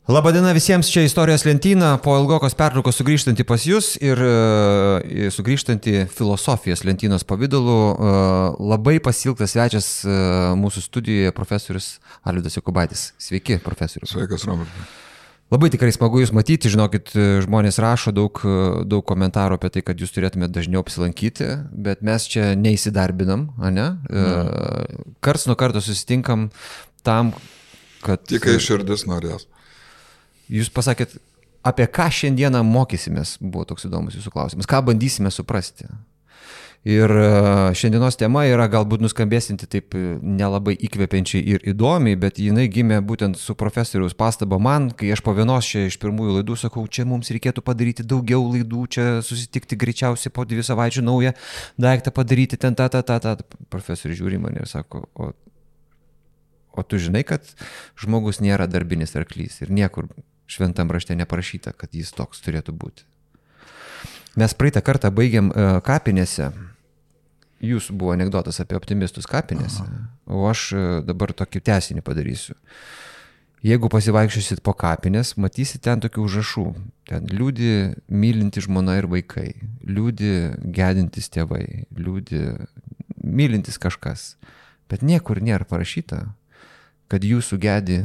Labadiena visiems, čia Istorijos lentyna, po ilgokos pertraukos sugrįžtanti pas jūs ir sugrįžtanti filosofijos lentynos pavidalu. Labai pasilgtas svečias mūsų studijoje profesorius Alvydas Jokubaitis. Sveiki, profesorius. Sveikas, Robertai. Labai tikrai smagu jūs matyti, žinokit, žmonės rašo daug komentarų apie tai, kad jūs turėtumėte dažniau apsilankyti, bet mes čia neįsidarbinam, ne? Karts nuo karto susitinkam tam, kad... Tik kai širdis norės. Jūs pasakėt, apie ką šiandieną mokysimės, buvo toks įdomus jūsų klausimas, ką bandysime suprasti. Ir šiandienos tema yra galbūt nuskambėsinti taip nelabai įkvepiančiai ir įdomiai, bet jinai gimė būtent su profesoriaus pastaba man, kai aš po vienos čia iš pirmųjų laidų sakau, čia mums reikėtų padaryti daugiau laidų, čia susitikti greičiausiai po 2 savaičių naują daiktą padaryti, ten ta. Profesorius žiūri mane ir sako, o tu žinai, kad žmogus nėra darbinis arklys ir niekur šventam rašte neparašyta, kad jis toks turėtų būti. Mes praeitą kartą baigėm kapinėse. Jūsų buvo anekdotas apie optimistus kapinėse, o aš dabar tokį tęsinį padarysiu. Jeigu pasivaikščiosit po kapinės, matysit ten tokių užrašų. Ten liūdi mylinti žmona ir vaikai, liūdi gedintis tėvai, liūdi mylintis kažkas. Bet niekur nėra parašyta, kad jūsų gedi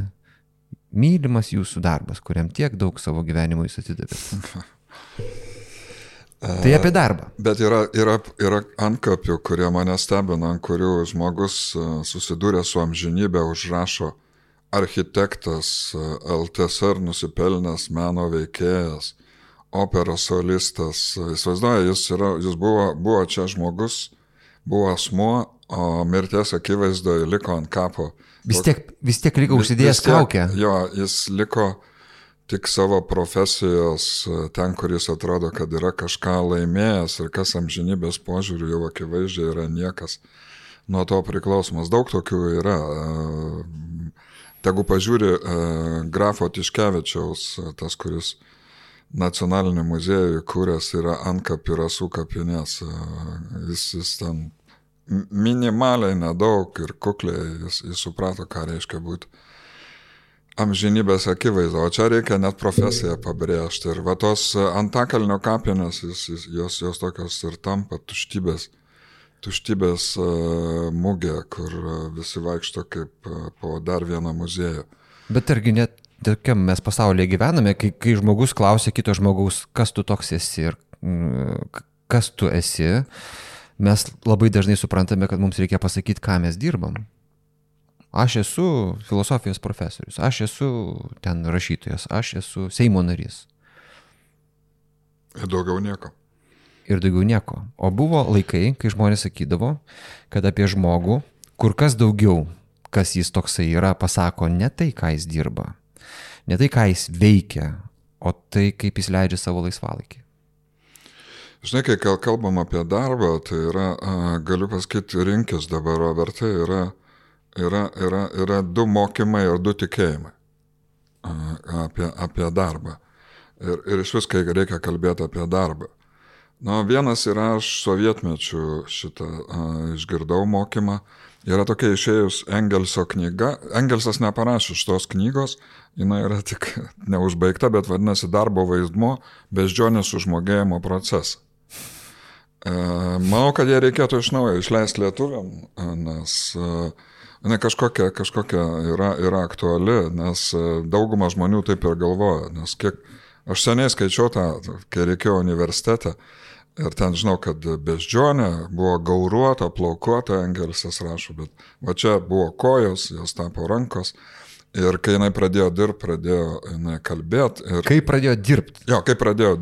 mylimas jūsų darbas, kuriam tiek daug savo gyvenimo jūs atidavėt. Tai apie darbą. Bet yra antkapių, kurie mane stebina, ant kurių žmogus susidūrė su amžinybė, užrašo architektas, LTSR nusipelnęs meno veikėjas, operos solistas. Įsivaizduoja, jis buvo čia žmogus, buvo asmuo, o mirties akivaizdoje liko ant kapo. Vis tiek liko užsidėjęs kaukę. Jo, jis liko tik savo profesijos ten, kur jis atrodo, kad yra kažką laimėjęs ir kas amžinybės požiūrių jau akivaizdžiai yra niekas nuo to priklausomas. Daug tokių yra. Tegu pažiūri grafo Tiškevičiaus, tas, kuris nacionalinį muziejų kūręs yra Antkapį rasų kapinės. Jis ten minimaliai nedaug ir kukliai jis suprato, ką reiškia būti amžinybės akivaizdo. O čia reikia net profesiją pabrėžti. Ir va tos Antakalnio kapinės, jos tokios ir tampa tuštybės mugė, kur visi vaikšto kaip po dar vieną muziejų. Bet argi net tokiam mes pasaulyje gyvename, kai žmogus klausia kito žmogaus, kas tu toks esi ir kas tu esi, mes labai dažnai suprantame, kad mums reikia pasakyti, ką mes dirbam. Aš esu filosofijos profesorius, aš esu ten rašytojas, aš esu Seimo narys. Ir daugiau nieko. O buvo laikai, kai žmonės sakydavo, kad apie žmogų kur kas daugiau, kas jis toksai yra, pasako ne tai, ką jis dirba, ne tai, ką jis veikia, o tai, kaip jis leidžia savo laisvalaikį. Žinai, kai kalbam apie darbą, tai yra, galiu pasakyti, rinkis dabar, Robertai, yra 2 mokymai ir 2 tikėjimai apie darbą. Ir iš vis, kai reikia kalbėti apie darbą. Vienas yra, aš sovietmečių šitą išgirdau mokymą. Yra tokia išėjus Engelso knyga. Engelsas neparašė šitos knygos, jinai yra tik neužbaigta, bet vadinasi darbo vaidmuo beždžionės sužmogėjimo procesą. Manau, kad jie reikėtų iš naujo išleisti lietuviam, nes jinai kažkokia yra aktuali, nes dauguma žmonių taip ir galvoja, nes aš seniai skaičiau tą, kai reikėjo universitete, ir ten žinau, kad beždžionė buvo gauruota, plaukuota, Engelsas rašo, bet va čia buvo kojos, jos tapo rankos, ir kai jinai pradėjo dirbti, pradėjo jinai kalbėti. Kai pradėjo dirbti? Jo, kai pradėjo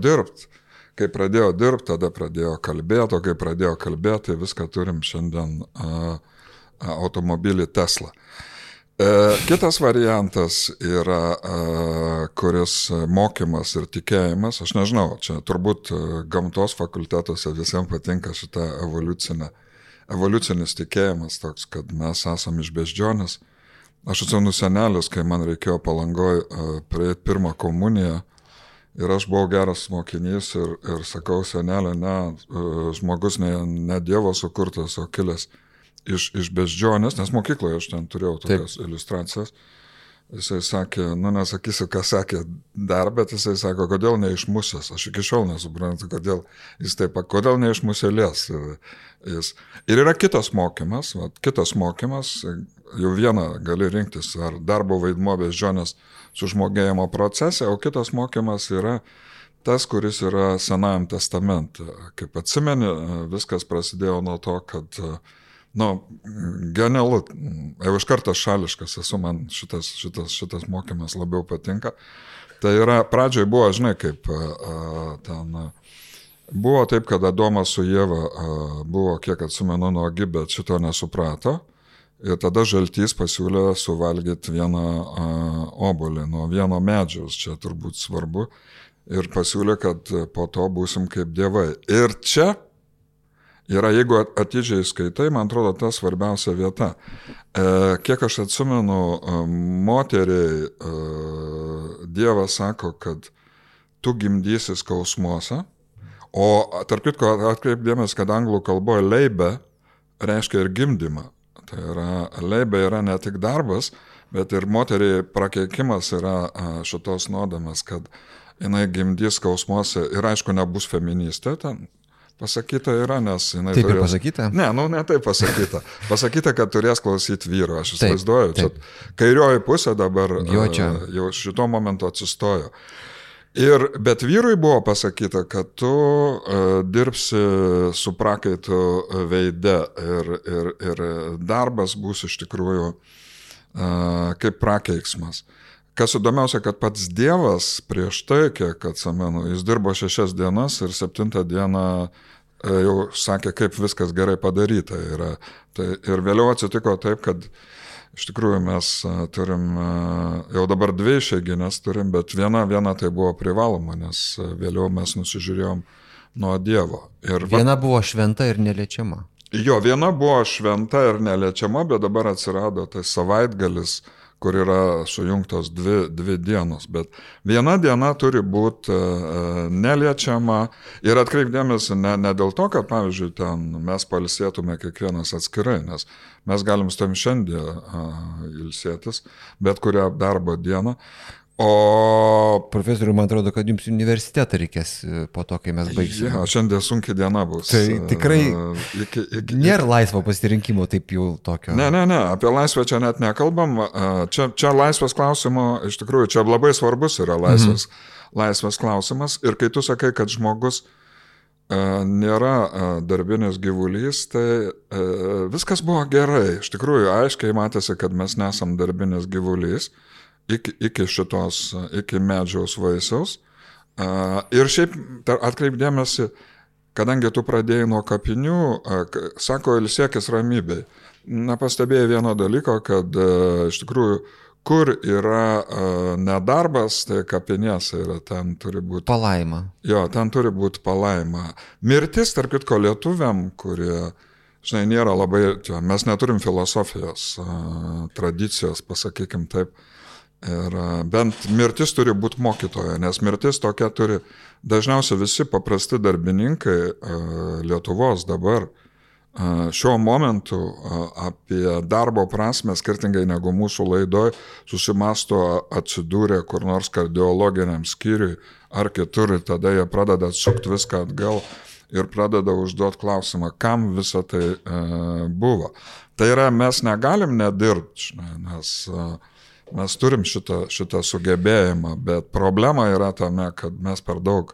dirbti, tada pradėjo kalbėti, o kai pradėjo kalbėti, tai viską turim šiandien automobilį Tesla. Kitas variantas yra, kuris mokymas ir tikėjimas, aš nežinau, čia turbūt gamtos fakultetuose visiems patinka šita evoliucinis tikėjimas, toks, kad mes esame iš beždžionės. Aš atsimenu senelis, kai man reikėjo Palangoje prieiti pirmą komuniją, ir aš buvau geras mokinys ir sakau, senelė, žmogus ne Dievo sukurtas, o kilęs iš beždžionės, nes mokykloje aš ten turėjau tokias iliustracijas. Jisai sakė, nesakysiu, ką sakė dar, bet jisai sako, kodėl ne iš musės. Aš iki šiol nesuprantu, kodėl jis taip, kodėl ne iš musėlės. Ir yra kitas mokymas, jau vieną gali rinktis, ar darbo vaidmuo beždžionės sužmogėjimo procese, o kitas mokymas yra tas, kuris yra Senajam testamente. Kaip atsimeni, viskas prasidėjo nuo to, kad genialu, jau iš karto šališkas esu, man šitas mokymas labiau patinka. Tai yra, pradžioj buvo, žinai, kaip ten, buvo taip, kad Adomas su Ieva buvo, kiek atsimenu, nuogi, bet šito nesuprato. Ir tada žaltys pasiūlė suvalgyti vieną obuolį nuo vieno medžiaus, čia turbūt svarbu. Ir pasiūlė, kad po to būsim kaip dievai. Ir čia yra, jeigu atidžiai skaitai, man atrodo, ta svarbiausia vieta. Kiek aš atsimenu, moteriai Dievas sako, kad tu gimdysi skausmuose, o tarp kitko atkreipdėmės, kad anglų kalboje leibe reiškia ir gimdymą. Tai yra, leibė yra ne tik darbas, bet ir moteriai prakeikimas yra šitos nuodėmės, kad jinai gimdys skausmuose ir aišku nebus feministė ten. Pasakyta yra, nes jinai taip turės... pasakyta? Ne taip pasakyta. Pasakyta, kad turės klausyti vyro. Aš įsivaizduoju, čia kairioji pusė dabar jau šito momento atsistojo. Bet vyrui buvo pasakyta, kad tu dirbsi su prakaitu veide ir darbas bus iš tikrųjų kaip prakeiksmas. Kas įdomiausia, kad pats Dievas prieš tai, kiek atsimenu, jis dirbo 6 dienas ir 7 dieną jau sakė, kaip viskas gerai padaryta yra. Ir vėliau atsitiko taip, kad iš tikrųjų mes turim, jau dabar 2 išeiginės turim, bet viena tai buvo privaloma, nes vėliau mes nusižiūrėjom nuo Dievo. Viena buvo šventa ir neliečiama. Jo, viena buvo šventa ir neliečiama, bet dabar atsirado tai savaitgalis, kur yra sujungtos 2 dienos, bet viena diena turi būti neliečiama ir atkreipdėmėsi ne dėl to, kad, pavyzdžiui, ten mes pailsėtume kiekvienas atskirai, nes mes galim su tam šiandien ilsėtis, bet kurią darbo dieną. O profesoriu, man atrodo, kad jums universitetą reikės po to, kai mes baigsime. Ja, šiandien sunki diena bus. Tai tikrai nėra laisvo pasirinkimo taip jau tokio. Ne, apie laisvę čia net nekalbam. Čia laisvės klausimo, iš tikrųjų, čia labai svarbus yra laisvės klausimas. Ir kai tu sakai, kad žmogus nėra darbinis gyvulys, tai viskas buvo gerai. Iš tikrųjų, aiškiai matėsi, kad mes nesam darbinis gyvulys. Iki medžiaus vaisiaus. Ir šiaip atkreipdėmėsi, kadangi tu pradėjai nuo kapinių, sako, ilsėkis ramybėj. Nepastebėjai vieno dalyko, kad iš tikrųjų, kur yra nedarbas, tai kapinėse yra, ten turi būti palaima. Jo, ten turi būti palaima. Mirtis, tarp kitko, lietuviam, kurie, žinai, nėra labai, mes neturim filosofijos tradicijos, pasakykim taip. Ir bent mirtis turi būti mokytoja, nes mirtis tokia turi dažniausiai visi paprasti darbininkai Lietuvos dabar šiuo momentu apie darbo prasme, skirtingai negu mūsų laidoj, susimasto atsidūrę kur nors kardiologiniam skyriui ar kitur, ir tada jie pradeda atsukti viską atgal ir pradeda užduoti klausimą, kam visa tai buvo. Tai yra, mes negalim nedirbti, nes mes turim šitą sugebėjimą, bet problema yra tame, kad mes per daug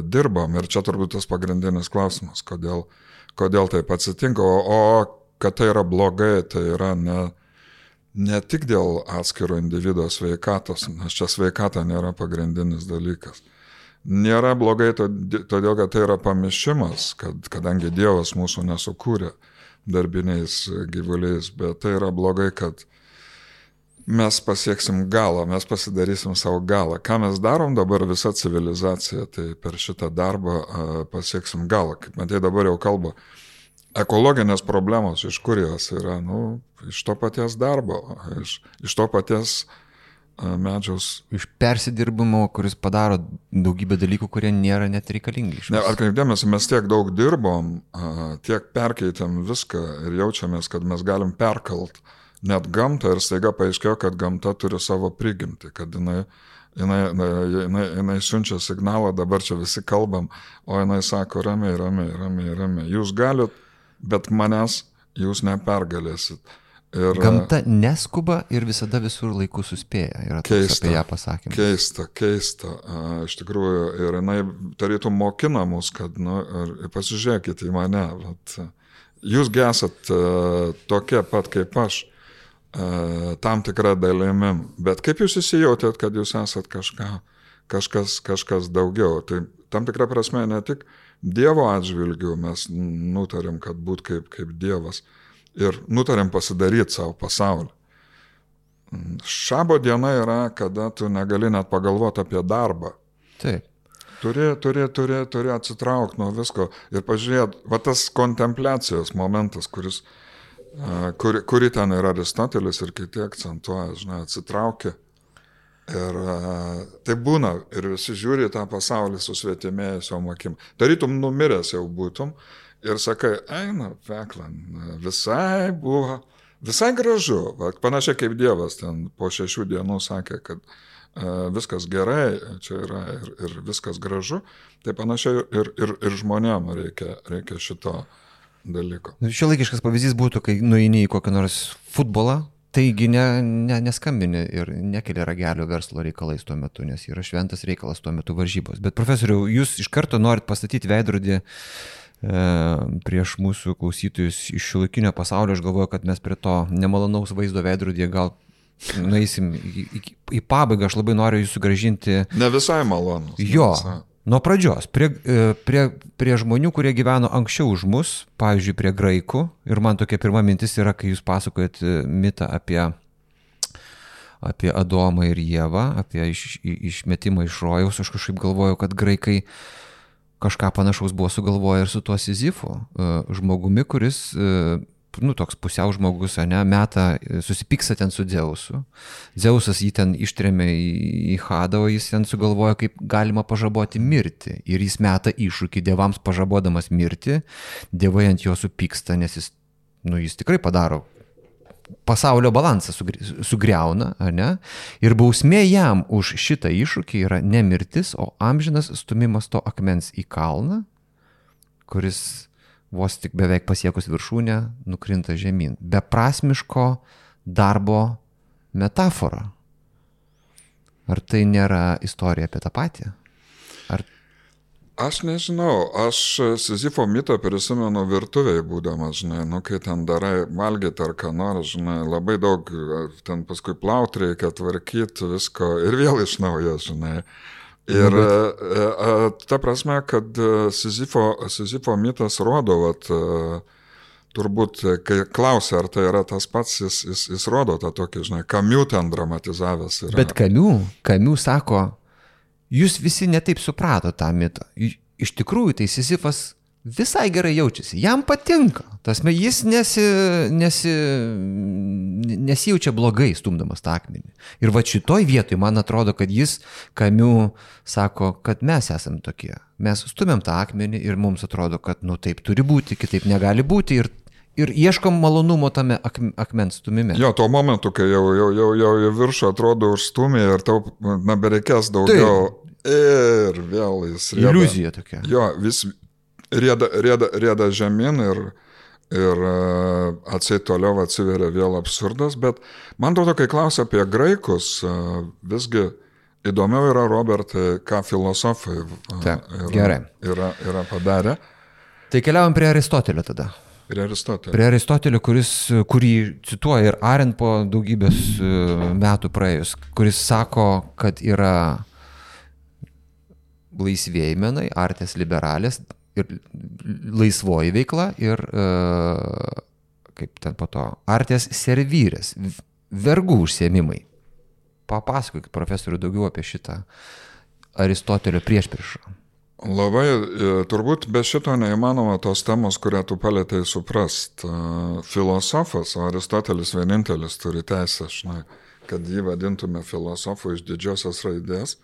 dirbam ir čia turbūt tas pagrindinis klausimas, kodėl taip atsitinka, o kad tai yra blogai, tai yra ne tik dėl atskiro individo sveikatos, nes čia sveikata nėra pagrindinis dalykas. Nėra blogai todėl, kad tai yra pamišimas, kadangi Dievas mūsų nesukūrė darbiniais gyvuliais, bet tai yra blogai, kad mes pasieksim galą, mes pasidarysim savo galą. Ką mes darom dabar visa civilizacija, tai per šitą darbą pasieksim galą. Kaip matai, dabar jau kalba, ekologinės problemos, iš kur jos yra, iš to paties darbo, iš to paties medžiaus. Iš persidirbimo, kuris padaro daugybę dalykų, kurie nėra net reikalingi. Atkreipdėmės, mes tiek daug dirbom, tiek perkeitėm viską ir jaučiamės, kad mes galim perkalt net gamtą ir staiga paaiškėjo, kad gamta turi savo prigimtį, kad jinai siunčia signalą, dabar čia visi kalbam, o jinai sako, ramiai, jūs galit, bet manęs jūs nepergalėsit. Ir gamta neskuba ir visada visur laiku suspėja. Yra toks apie ją pasakymas. Keista. Iš tikrųjų, ir jinai tarytum mokina mus, kad, pasižiūrėkite į mane. Bet, jūs esat tokie pat kaip aš, tam tikrą dalimi. Bet kaip jūs įsijautėt, kad jūs esat kažkas daugiau? Tai tam tikrą prasme ne tik Dievo atžvilgių mes nutarėm, kad būt kaip Dievas. Ir nutarėm pasidaryti savo pasaulį. Šabo diena yra, kada tu negali net pagalvoti apie darbą. Taip. Turi atsitraukti nuo visko ir pažiūrėti, va tas kontempliacijos momentas, kuri ten yra Aristotelis ir kiti akcentuoja, atsitraukia. Ir tai būna, ir visi žiūri tą pasaulį su svetimėjusiom akim. Tarytum numiręs jau būtum. Ir sakai, eina, veklan, visai gražu. Panašiai kaip Dievas ten po 6 dienų sakė, kad viskas gerai, čia yra ir viskas gražu. Tai panašiai ir žmonėm reikia šito dalyko. Šiuolaikiškas pavyzdys būtų, kai nueini į kokį nors futbolą, taigi neskambini ir nekeli ragelio verslo reikalais tuo metu, nes yra šventas reikalas tuo metu varžybos. Bet profesoriau, jūs iš karto norit pastatyti veidrodį prieš mūsų klausytojus iš šiuolaikinio pasaulio. Aš galvoju, kad mes prie to nemalonaus vaizdo veidrodyje gal nueisim į pabaigą. Aš labai noriu jūs sugrąžinti. Ne visai malonus. Jo, nuo pradžios. Prie žmonių, kurie gyveno anksčiau už mus, pavyzdžiui, prie graikų. Ir man tokia pirma mintis yra, kai jūs pasakojat mitą apie Adomą ir Ievą, apie išmetimą iš rojaus. Aš kažkaip galvoju, kad graikai kažką panašaus buvo sugalvoję ir su tuo Sizifu, žmogumi, kuris, toks pusiau žmogus, susipyksta ten su Dzeusu. Dzeusas jį ten ištrėmė į Hadą, o jis ten sugalvojo, kaip galima pažaboti mirtį. Ir jis meta iššūkį dievams pažabodamas mirtį. Dievai ant jo supyksta, nes jis tikrai padaro. Pasaulio balansą sugriauna, ir bausmė jam už šitą iššūkį yra ne mirtis, o amžinas stumimas to akmens į kalną, kuris vos tik beveik pasiekus viršūnę nukrinta žemyn. Beprasmiško darbo metafora. Ar tai nėra istorija apie tą patį? Aš nežinau, aš Sizifo mitą prisimenu virtuvėje būdamas, kai ten darai valgyti ar ką nors, labai daug, ten paskui plauti reikia, tvarkyti visko ir vėl iš naujo, Ir ta prasme, kad Sizifo mitas rodo, turbūt, kai klausia, ar tai yra tas pats, jis rodo tą tokį, Kamiu ten dramatizavęs yra. Bet Kamiu sako, jūs visi netaip suprato tą mitą. Iš tikrųjų, tai Sizifas visai gerai jaučiasi. Jam patinka. Tasme, jis nesijaučia blogai stumdamas tą akmenį. Ir šitoj vietoj, man atrodo, kad jis, Kamiu, sako, kad mes esam tokie. Mes stumėm tą akmenį ir mums atrodo, kad taip turi būti, kitaip negali būti. Ir ieškom malonumo tame akmens stumime. Jo, tuo momentu, kai jau į viršų atrodo užstumė ir tau bereikės daugiau. Taip. Ir vėl jis rieda. Iliuzija tokia. Jo, vis rieda žemyn ir atseit toliau atsiveria vėl absurdas, bet man atrodo, kai klausia apie graikus, visgi įdomiau yra, Robertai, ką filosofai yra padarę. Tai keliaujam prie Aristotelio tada. Prie Aristotelio, kurį cituoja ir Arendt po daugybės metų praėjus, kuris sako, kad yra laisvieji menai, artes liberalės ir laisvoji veikla ir, kaip ten po to, artes servires, vergų užsiėmimai. Papasakokit, profesorių, daugiau apie šitą Aristotelio priešpriešą. Labai, turbūt be šito neįmanoma tos temos, kurią tu palėtei suprast. Filosofas, o Aristotelis vienintelis turi teisę, kad jį vadintume filosofu iš didžiosios raidės.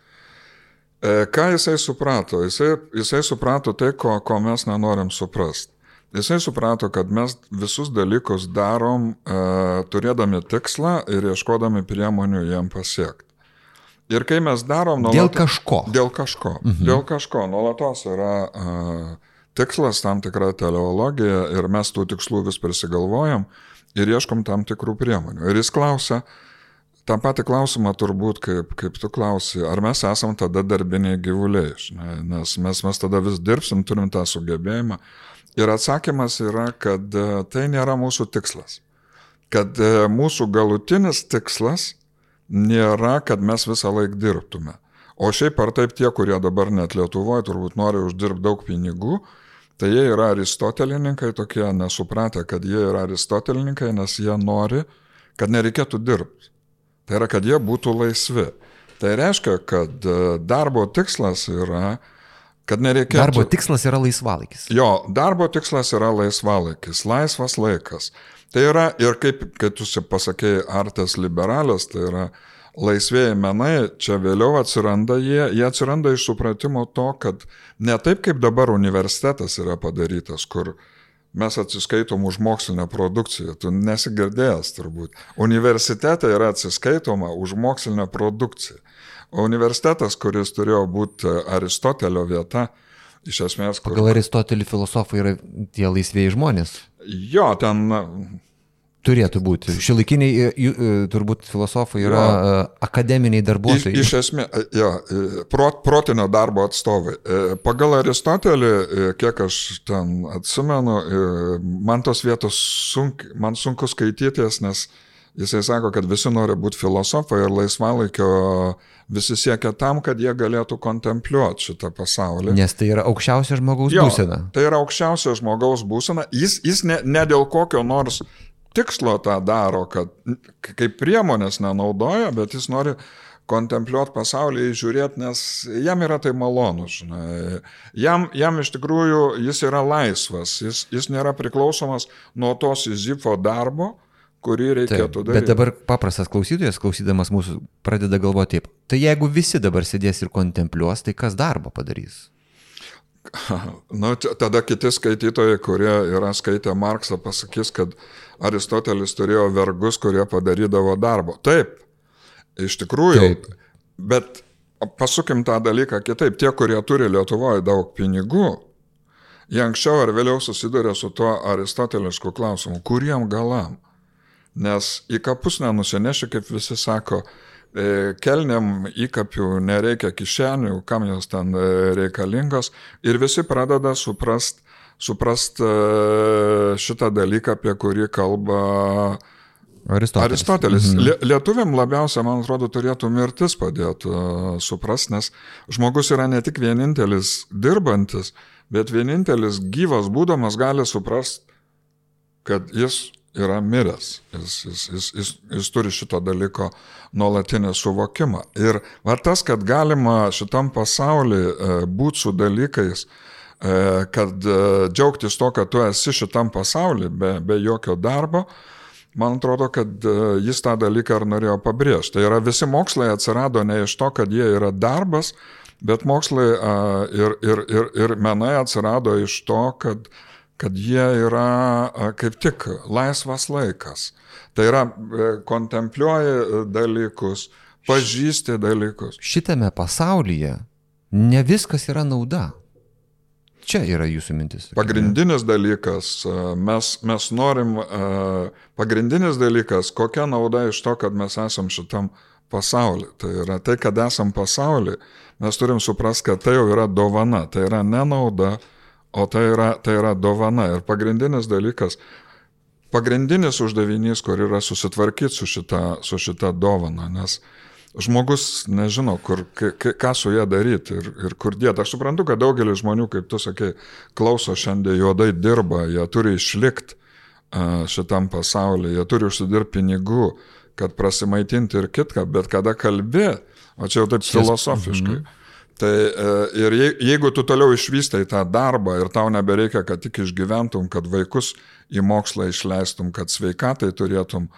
Ką jisai suprato? Jisai suprato tai, ko mes nenorim suprast. Jisai suprato, kad mes visus dalykus darom turėdami tikslą ir ieškodami priemonių jam pasiekti. Ir kai mes darom... Dėl kažko. Dėl kažko. Dėl kažko. Nuolatos yra tikslas, tam tikra teleologija ir mes tų tikslų vis prisigalvojam ir ieškom tam tikrų priemonių. Ir jis klausia, tą patį klausimą turbūt, kaip tu klausi, ar mes esam tada darbiniai gyvuliai, nes mes tada vis dirbsim, turim tą sugebėjimą. Ir atsakymas yra, kad tai nėra mūsų tikslas. Kad mūsų galutinis tikslas nėra, kad mes visą laiką dirbtume. O šiaip ar taip tie, kurie dabar net Lietuvoje turbūt nori uždirbti daug pinigų, tai jie yra aristotelininkai, tokie nesupratę, kad jie yra aristotelininkai, nes jie nori, kad nereikėtų dirbti. Tai yra, kad jie būtų laisvi. Tai reiškia, kad darbo tikslas yra, kad nereikėtų... Darbo tikslas yra laisvalaikis. Jo, darbo tikslas yra laisvalaikis, laisvas laikas. Tai yra, ir kaip tu pasakėjai, artes liberales, tai yra laisvėjai menai, čia vėliau atsiranda jie atsiranda iš supratimo to, kad ne taip kaip dabar universitetas yra padarytas, kur mes atsiskaitom už mokslinę produkciją, tu nesigirdėjęs turbūt. Universitete yra atsiskaitoma už mokslinę produkciją. O universitetas, kuris turėjo būti Aristotelio vieta, iš esmės... Pagal Aristotelį filosofai yra tie laisvėjai žmonės. Jo, ten... Turėtų būti. Šiuolaikiniai turbūt filosofai yra akademiniai darbuotojai. Iš esmės, protinio darbo atstovai. Pagal Aristotelį, kiek aš ten atsimenu, man tos vietos man sunku skaitytis, nes jisai sako, kad visi nori būti filosofai ir laisvalaikio visi siekia tam, kad jie galėtų kontempliuoti šitą pasaulį. Nes tai yra aukščiausia žmogaus būsena. Tai yra aukščiausia žmogaus būsena. Jis ne dėl kokio nors tikslo tą daro, kad kaip priemonės nenaudoja, bet jis nori kontempliuoti pasaulį, žiūrėti, nes jam yra tai malonu. Žinai. Jam iš tikrųjų jis yra laisvas, jis nėra priklausomas nuo to Sizifo darbo, kurį reikėtų daryti. Bet dabar paprastas klausytojas, klausydamas mūsų, pradeda galvoti taip. Tai jeigu visi dabar sėdės ir kontempliuos, tai kas darbo padarys? Nu, tada kiti skaitytojai, kurie yra skaitę Marksą, pasakys, kad Aristotelis turėjo vergus, kurie padarydavo darbo. Taip, iš tikrųjų, taip. Bet pasukim tą dalyką kitaip. Tie, kurie turi Lietuvoje daug pinigų, jie anksčiau ar vėliau susiduria su tuo aristotelišku klausimu, kuriem galam. Nes į kapus nenusineši, kaip visi sako, kelniam įkapių nereikia kišenių, kam jos ten reikalingos, ir visi pradeda suprast šitą dalyką, apie kurį kalba Aristotelis. Lietuviam labiausia, man atrodo, turėtų mirtis padėti suprast, nes žmogus yra ne tik vienintelis dirbantis, bet vienintelis gyvas būdamas gali suprast, kad jis yra miręs. Jis turi šito dalyko nuolatinį suvokimą. Ir va tas, kad galima šitam pasaulyje būti su dalykais, kad džiaugtis to, kad tu esi šitam pasaulyje be jokio darbo, man atrodo, kad jis tą dalyką ir norėjo pabrėžti. Tai yra, visi mokslai atsirado ne iš to, kad jie yra darbas, bet mokslai ir menai atsirado iš to, kad jie yra kaip tik laisvas laikas. Tai yra, kontempliuoji dalykus, pažįsti dalykus. Šitame pasaulyje ne viskas yra nauda. Čia yra jūsų mintis. Pagrindinis dalykas, mes norim, pagrindinis dalykas, kokia nauda iš to, kad mes esam šitam pasauly. Tai yra tai, kad esam pasauly, mes turim suprast, kad tai jau yra dovana, tai yra ne nauda, o tai yra dovana. Ir pagrindinis dalykas, pagrindinis uždavinys, kur yra susitvarkyti su šita dovana, nes žmogus nežino, ką su ją daryti ir kur dėti. Aš suprantu, kad daugelis žmonių, kaip tu sakai, klauso šiandien, juodai dirba, jie turi išlikti šitam pasaulyje, jie turi užsidirbti pinigų, kad prasimaitinti ir kitką, bet kada kalbė, o čia jau taip filosofiškai, tai ir jeigu tu toliau išvystai tą darbą ir tau nebereikia, kad tik išgyventum, kad vaikus į mokslą išleistum, kad sveikatai turėtum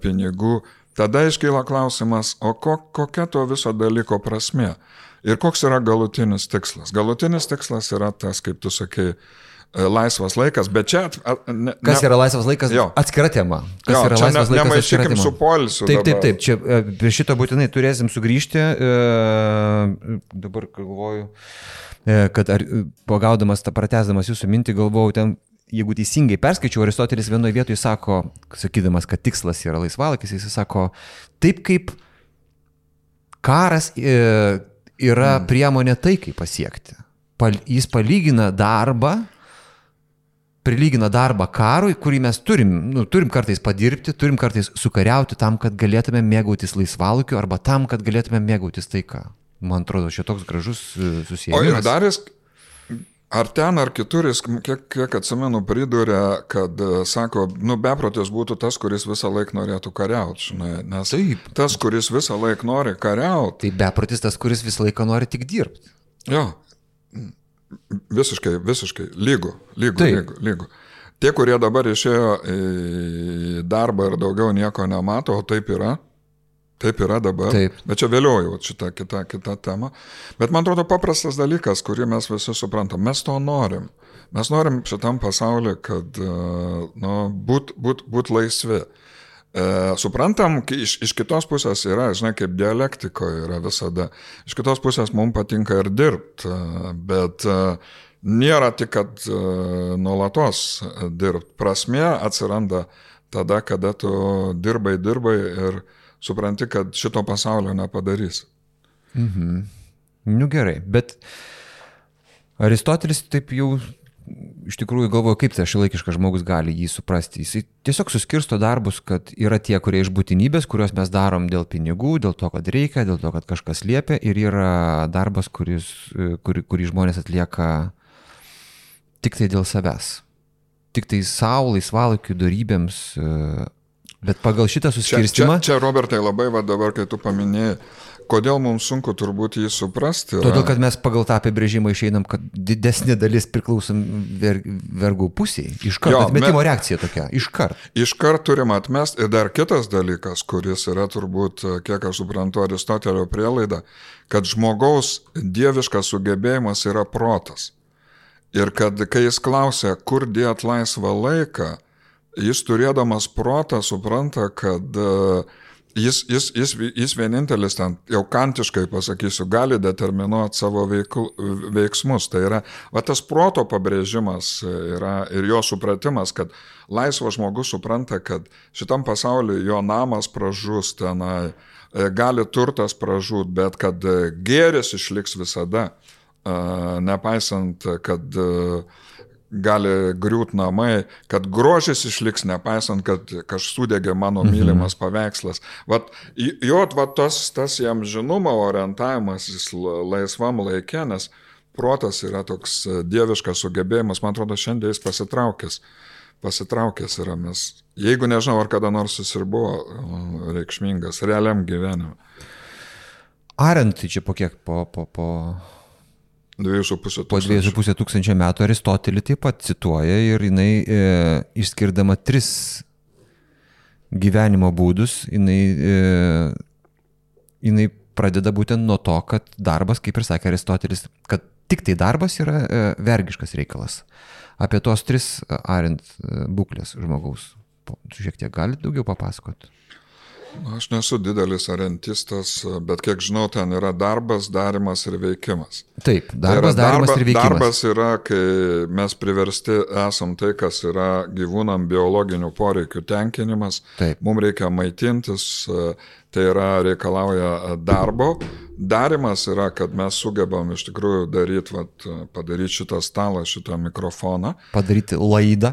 pinigų, tada iškyla klausimas, o kokia to viso dalyko prasmė? Ir koks yra galutinis tikslas? Galutinis tikslas yra tas, kaip tu sakei, laisvas laikas, bet čia... Kas yra laisvas laikas? Atskira tema. Kas yra laisvas laikas? Nemaišykim su poilsiu. Taip. Čia prie šito būtinai turėsim sugrįžti. Dabar galvoju, kad pagaudamas, pratęsdamas jūsų mintį, galvojau ten, jeigu teisingai perskaičiau, Aristotelis vienoje vietoje sako, sakydamas, kad tikslas yra laisvalakis, jis sako, taip kaip karas yra priemonė taikai pasiekti. Jis prilygina darbą karui, kurį mes turim kartais padirbti, turim kartais sukariauti tam, kad galėtume mėgautis laisvalaikiu arba tam, kad galėtume mėgautis taika. Man atrodo, čia toks gražus susijęs. O ir dar jis, ar ten, ar kitur, jis, kiek atsimenu, pridūrė, kad, sako, beprotis būtų tas, kuris visą laiką norėtų kariauti, žinai, nes taip. Tas, kuris visą laiką nori kariauti. Tai beprotis tas, kuris visą laiką nori tik dirbti. Jo. Visiškai, lygu. Tie, kurie dabar išėjo į darbą ir daugiau nieko nemato, o taip yra dabar, taip. Bet čia vėliau jau šita kita tema. Bet man atrodo paprastas dalykas, kurį mes visi suprantam, mes to norim. Mes norim šitam pasauliu, kad būt laisvi. Suprantam, iš kitos pusės yra, žinai, kaip dialektikoje yra visada. Iš kitos pusės mums patinka ir dirbti, bet nėra tik, kad nuolatos dirbti. Prasmė atsiranda tada, kada tu dirbai ir supranti, kad šito pasaulio nepadarys. Gerai, bet Aristotelis taip jau iš tikrųjų galvoju, kaip tas šiuolaikiškas žmogus gali jį suprasti. Jis tiesiog suskirsto darbus, kad yra tie, kurie iš būtinybės, kuriuos mes darom dėl pinigų, dėl to, kad reikia, dėl to, kad kažkas liepia, ir yra darbas, kurį žmonės atlieka tik tai dėl savęs. Tik tai savo, laisvalaikių, dorybėms. Bet pagal šitą suskirstimą... Čia Robertai, labai dabar, kai tu paminėjai, kodėl mums sunku turbūt jį suprasti? Todėl, kad mes pagal tą apibrėžimą išeinam, kad didesnė dalis priklausom vergų pusiai. Iškart, atmetimo reakcija tokia, iškart. Iškart turim atmest. Ir dar kitas dalykas, kuris yra turbūt, kiek aš suprantu, Aristotelio prielaida, kad žmogaus dieviškas sugebėjimas yra protas. Ir kad, kai jis klausia, kur dėt laisvą laiką, jis turėdamas protą supranta, kad jis vienintelis ten, jau kantiškai pasakysiu, gali determinuoti savo veiksmus. Tai yra, tas proto pabrėžimas yra ir jo supratimas, kad laisvas žmogus supranta, kad šitam pasauliu jo namas pražus tenai, gali turtas pražūt, bet kad gėris išliks visada, nepaisant, kad gali griūt namai, kad grožis išliks, nepaisant, kad kažkas sudegė mano mylimas paveikslas. Tas jam žinoma orientavimas laisvam laikė, nes protas yra toks dieviškas sugebėjimas, man atrodo, šiandien jis pasitraukęs yra, mes, jeigu nežinau, ar kada nors jis ir buvo reikšmingas realiam gyvenime. Arendt, čia po kiek, po 2,5 tūkstančio metų Aristotelį taip pat cituoja ir jinai išskirdama 3 gyvenimo būdus, jinai pradeda būtent nuo to, kad darbas, kaip ir sakė Aristotelis, kad tik tai darbas yra vergiškas reikalas. Apie tos 3 Arendt būklės žmogaus. Šiek tiek galite daugiau papasakoti? Aš nesu didelis arentistas, bet kiek žinau, ten yra darbas, darimas ir veikimas. Taip, darbas, darimas ir veikimas. Darbas yra, kai mes priversti esam tai, kas yra gyvūnam biologinių poreikių tenkinimas. Taip. Mums reikia maitintis, tai yra reikalauja darbo. Darimas yra, kad mes sugebam iš tikrųjų padaryti šitą stalą, šitą mikrofoną. Padaryti laidą.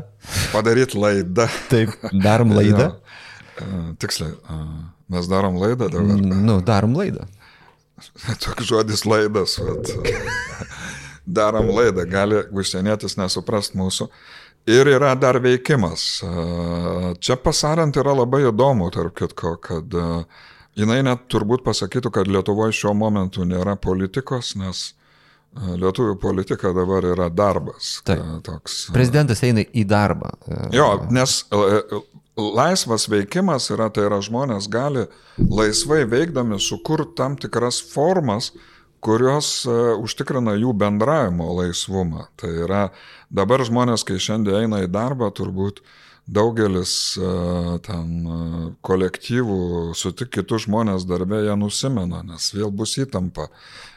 Taip, darom laidą. Tiksliai, mes darom laidą dabar. Darom laidą. Toks žodis laidas. Darom laidą, gali užsienietis nesuprast mūsų. Ir yra dar veikimas. Čia pas Arendt yra labai įdomu, tarp kitko, kad jinai net turbūt pasakytų, kad Lietuvoje šiuo momentu nėra politikos, nes lietuvių politika dabar yra darbas. Toks, prezidentas eina į darbą. Jo, nes laisvas veikimas yra, tai yra žmonės gali laisvai veikdami sukurti tam tikras formas, kurios užtikrina jų bendravimo laisvumą. Tai yra, dabar žmonės, kai šiandien eina į darbą, turbūt daugelis ten kolektyvų sutik kitus žmonės darbė, jie nusimena, nes vėl bus įtampa,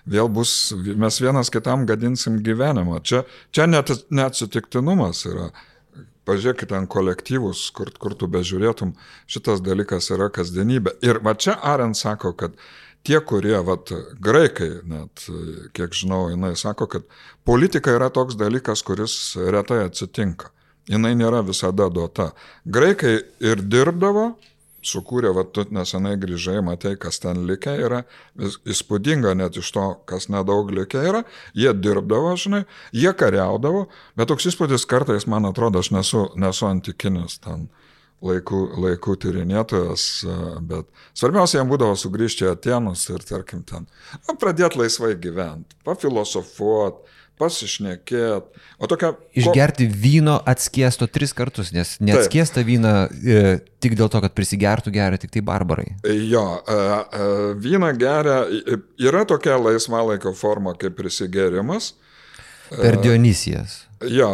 mes vienas kitam gadinsim gyvenimą. Čia net neatsitiktinumas yra. Pažiūrėkit ten kolektyvus, kur tu bežiūrėtum, šitas dalykas yra kasdienybė. Ir va čia Arendt sako, kad tie, kurie, graikai net, kiek žinau, jinai sako, kad politika yra toks dalykas, kuris retai atsitinka. Jinai nėra visada duota. Graikai ir dirbdavo, sukūrė, tu nesenai grįžai, matai, kas ten likę yra, įspūdinga net iš to, kas nedaug likę yra, jie dirbdavo, žinai, jie kariaudavo, bet toks įspūdis kartais, man atrodo, aš nesu antikinis ten laikų tyrinėtojas, bet svarbiausia, jam būdavo sugrįžti į Atenus ir, tarkim, ten pradėti laisvai gyventi, pafilosofuoti, pasišnekėt. Išgerti vyno atskiesto 3 kartus, nes neatskiestą vyną tik dėl to, kad prisigertų geria tik tai barbarai. Jo, vyną geria, yra tokia laisvalaikio forma kaip prisigerimas. Per Dionysijas. Jo,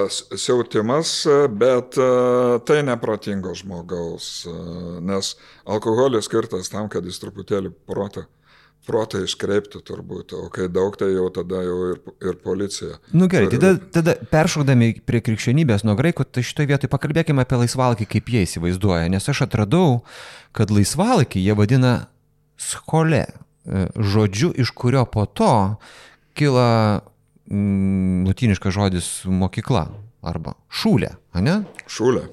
siautimas, bet tai neprotingo žmogaus, nes alkoholis skirtas tam, kad jis truputėlį protą iškreipti turbūt, o kai daug, tai jau tada jau ir policija. Gerai, tada peršokdami prie krikščionybės nuo graikų, tai šitoje vietoje pakalbėkime apie laisvalaikį, kaip jie įsivaizduoja, nes aš atradau, kad laisvalaikį jie vadina skole, žodžiu, iš kurio po to kyla lotyniškas žodis mokykla arba šūlė, ane? Šūlė.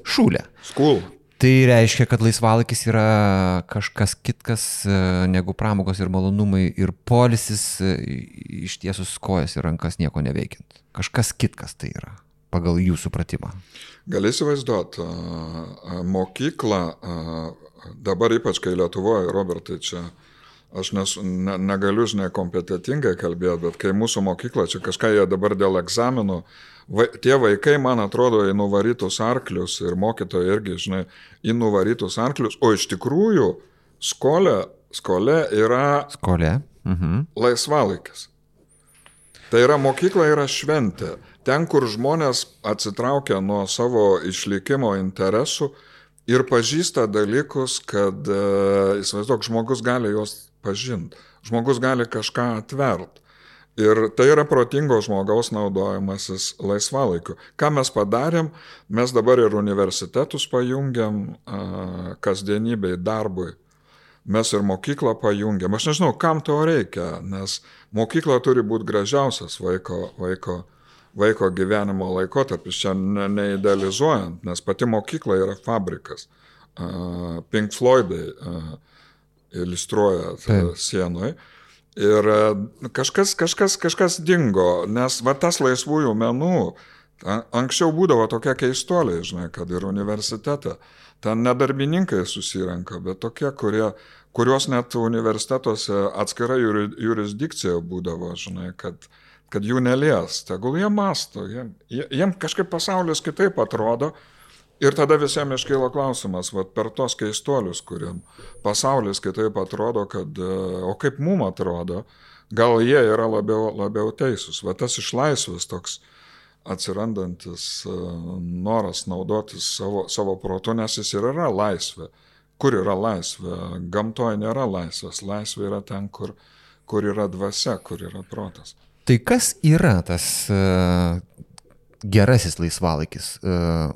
School. Tai reiškia, kad laisvalaikis yra kažkas kitkas negu pramogos ir malonumai ir poilsis ištiesus kojas ir rankas nieko neveikiant. Kažkas kitkas tai yra, pagal jų supratimą. Gali įsivaizduoti, mokyklą, dabar ypač kai Lietuvoje, Robertai, čia aš negaliu, žinai, kompetitingai kalbėti, bet kai mūsų mokykla, čia kažką jie dabar dėl egzaminų, tie vaikai, man atrodo, į nuvarytus arklius ir mokytojai irgi, žinai, į nuvarytus arklius, o iš tikrųjų skolė yra laisvalaikis. Tai yra mokykla yra šventė. Ten, kur žmonės atsitraukia nuo savo išlikimo interesų ir pažįsta dalykus, kad, įsivaizduok, žmogus gali juos pažinti, žmogus gali kažką atvert. Ir tai yra protingo žmogaus naudojimasis laisvalaikiu. Ką mes padarėm, mes dabar ir universitetus pajungiam kasdienybei, darbui. Mes ir mokyklą pajungiam. Aš nežinau, kam to reikia, nes mokykla turi būti gražiausias vaiko gyvenimo laikotarpis, čia neidealizuojant, nes pati mokykla yra fabrikas. Pink Floydai iliustruoja sienoje. Ir kažkas dingo, nes tas laisvųjų menų, anksčiau būdavo tokie keistuoliai, žinai, kad ir universitete, ten nedarbininkai susirenka, bet tokie, kurios net universitetuose atskira jurisdikcija būdavo, žinai, kad jų nelies, tegul jie masto, jiem kažkaip pasaulis kitaip atrodo. Ir tada visiems iškyla klausimas, per tos keistuolius, kuriem pasaulis kitaip atrodo, o kaip mum atrodo, gal jie yra labiau teisūs. Tas išlaisvės toks atsirandantis noras naudotis savo protu, nes jis ir yra laisvė. Kur yra laisvė? Gamtoje nėra laisvės. Laisvė yra ten, kur yra dvasia, kur yra protas. Tai kas yra tas gerasis laisvalaikis,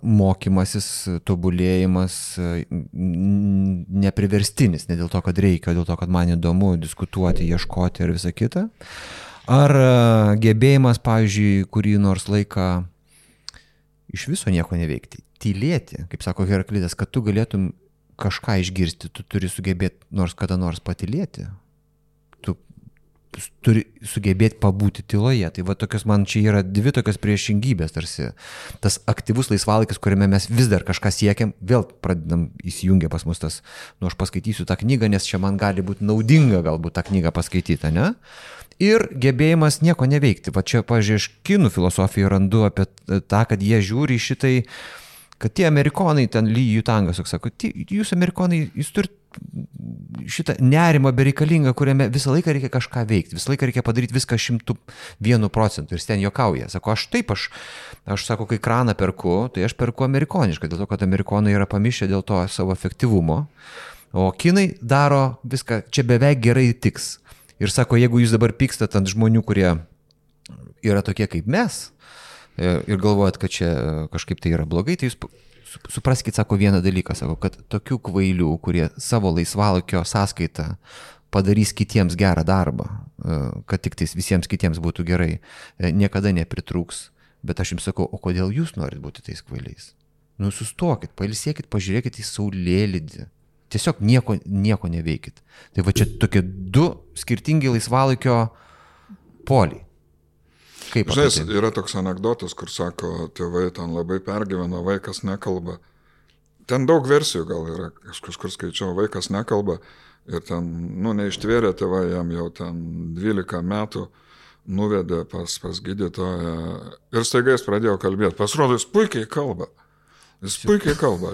mokymasis, tobulėjimas, nepriverstinis, ne dėl to, kad reikia, dėl to, kad man įdomu diskutuoti, ieškoti ir visa kita. Ar gebėjimas, pavyzdžiui, kurį nors laiką iš viso nieko neveikti, tylėti, kaip sako Heraklitas, kad tu galėtum kažką išgirsti, tu turi sugebėti nors kada nors patylėti. Tu turi sugebėti pabūti tyloje. Tai tokios man čia yra dvi tokios priešingybės, tarsi tas aktyvus laisvalaikis, kuriame mes vis dar kažką siekiam, vėl pradedam įsijungę pas mus tas, aš paskaitysiu tą knygą, nes čia man gali būti naudinga galbūt tą knygą paskaityti, ne? Ir gebėjimas nieko neveikti. Čia, pavyzdžiui, aš kinų filosofijoje randu apie tą, kad jie žiūri šitai, kad tie amerikonai, ten Lee Yutangas, sako, jūs amerikonai, jūs turit šitą nerimą bereikalingą, kuriame visą laiką reikia kažką veikti, visą laiką reikia padaryti viską 101%. Ir ten juokauja. Sako, aš sako, kai kraną perku, tai aš perku amerikoniškai, dėl to, kad amerikonai yra pamišę dėl to savo efektyvumo, o kinai daro viską, čia beveik gerai tiks. Ir sako, jeigu jūs dabar pykstat ant žmonių, kurie yra tokie kaip mes, ir galvojat, kad čia kažkaip tai yra blogai, tai jūs supraskit, sako, vieną dalyką, sako, kad tokių kvailių, kurie savo laisvalaikio sąskaitą padarys kitiems gerą darbą, kad tik tais visiems kitiems būtų gerai, niekada nepritrūks. Bet aš jums sakau, o kodėl jūs norit būti tais kvailiais? Nu, sustokit, pailsėkit, pažiūrėkit į saulėlydį. Tiesiog nieko neveikit. Tai va čia tokie du skirtingi laisvalaikio poliai. Kaip žinai, yra toks anekdotas, kur sako, tėvai ten labai pergyveno, vaikas nekalba. Ten daug versijų gal yra, aš kažkur skaičiau, vaikas nekalba ir ten, neištvėrė tėvai, jam jau ten 12 metų nuvedė pas gydytoją ir staiga jis pradėjo kalbėti. Pasirodo, jis puikiai kalba.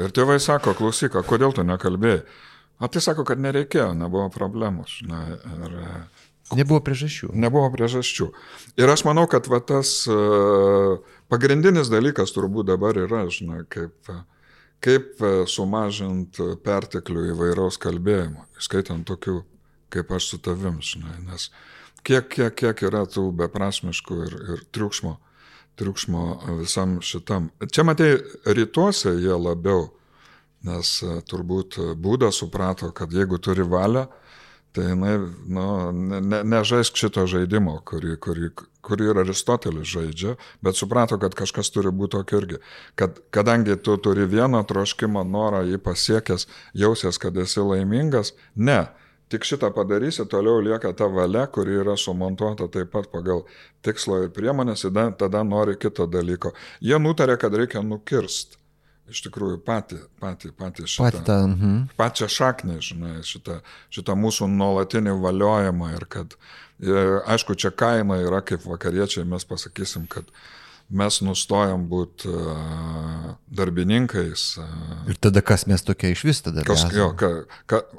Ir tėvai sako, klausyk, kodėl tu nekalbėjai? O tai sako, kad nereikėjo, nebuvo problemų. Nebuvo priežasčių. Ir aš manau, kad va, tas pagrindinis dalykas turbūt dabar yra, žinai, kaip sumažinti perteklių įvairaus kalbėjimo, skaitant tokių, kaip aš su tavim, žinai, nes kiek yra tų beprasmiškų ir triukšmo visam šitam. Čia, matai, rytuose jie labiau, nes turbūt Buda suprato, kad jeigu turi valią, tai nežaisk šito žaidimo, kurį ir Aristotelis žaidžia, bet suprato, kad kažkas turi būti tokio irgi. Kadangi tu turi vieną troškimą, norą, jį pasiekęs, jausies, kad esi laimingas, ne. Tik šitą padarysi, toliau lieka ta valia, kuri yra sumontuota taip pat pagal tikslo ir priemonės, tada nori kito dalyko. Jie nutarė, kad reikia nukirsti. Iš tikrųjų, pačią šaknį, žinai, šitą mūsų nuolatinį valiojimą ir kad, aišku, čia kaina yra kaip vakariečiai, mes pasakysim, kad mes nustojam būti darbininkais. Ir tada kas mes tokie iš vis tada?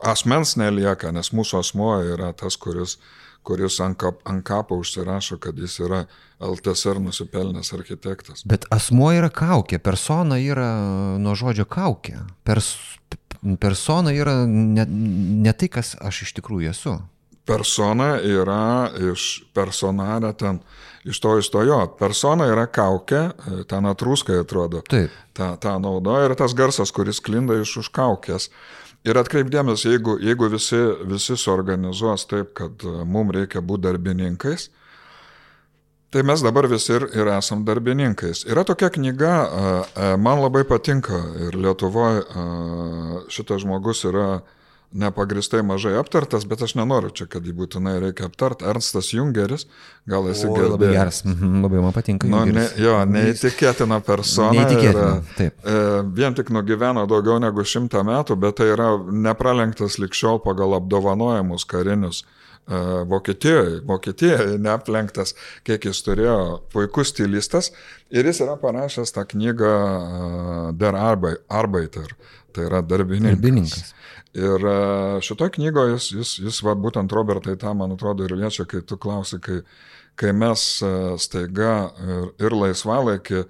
Asmens nelieka, nes mūsų asmuo yra tas, kuris ant kapo užsirašo, kad jis yra LTSR nusipelnęs architektas. Bet asmuo yra kaukė, persona yra nuo žodžio kaukė. Persona yra ne tai, kas aš iš tikrųjų esu. Persona yra iš personalė ten, iš to jo. Persona yra kaukė, ten atrūskai atrodo. Taip. Ta naudoja ir tas garsas, kuris klinda iš už kaukės. Ir atkreipdėmės, jeigu visi suorganizuos taip, kad mums reikia būti darbininkais, tai mes dabar visi ir esam darbininkais. Yra tokia knyga, man labai patinka ir Lietuvoje šitas žmogus yra nepagristai mažai aptartas, bet aš nenoriu čia, kad jį būtinai reikia aptart. Ernstas Jungeris, gal esi girdėjęs. Labai geras, labai man patinka Jungeris. Neįtikėtina persona. Neįtikėtina, taip. Vien tik nugyveno daugiau negu 100 metų, bet tai yra nepralenktas likščiol pagal apdovanojimus karinius. Vokietijoje neaplenktas, kiek jis turėjo, puikus stilistas ir jis yra parašęs tą knygą Der Arbeiter, tai yra darbininkas. Ir šitoje knygoje jis va, būtent Robertai tą, man atrodo, ir liečia, kai tu klausi, kai mes staiga ir laisvalaikį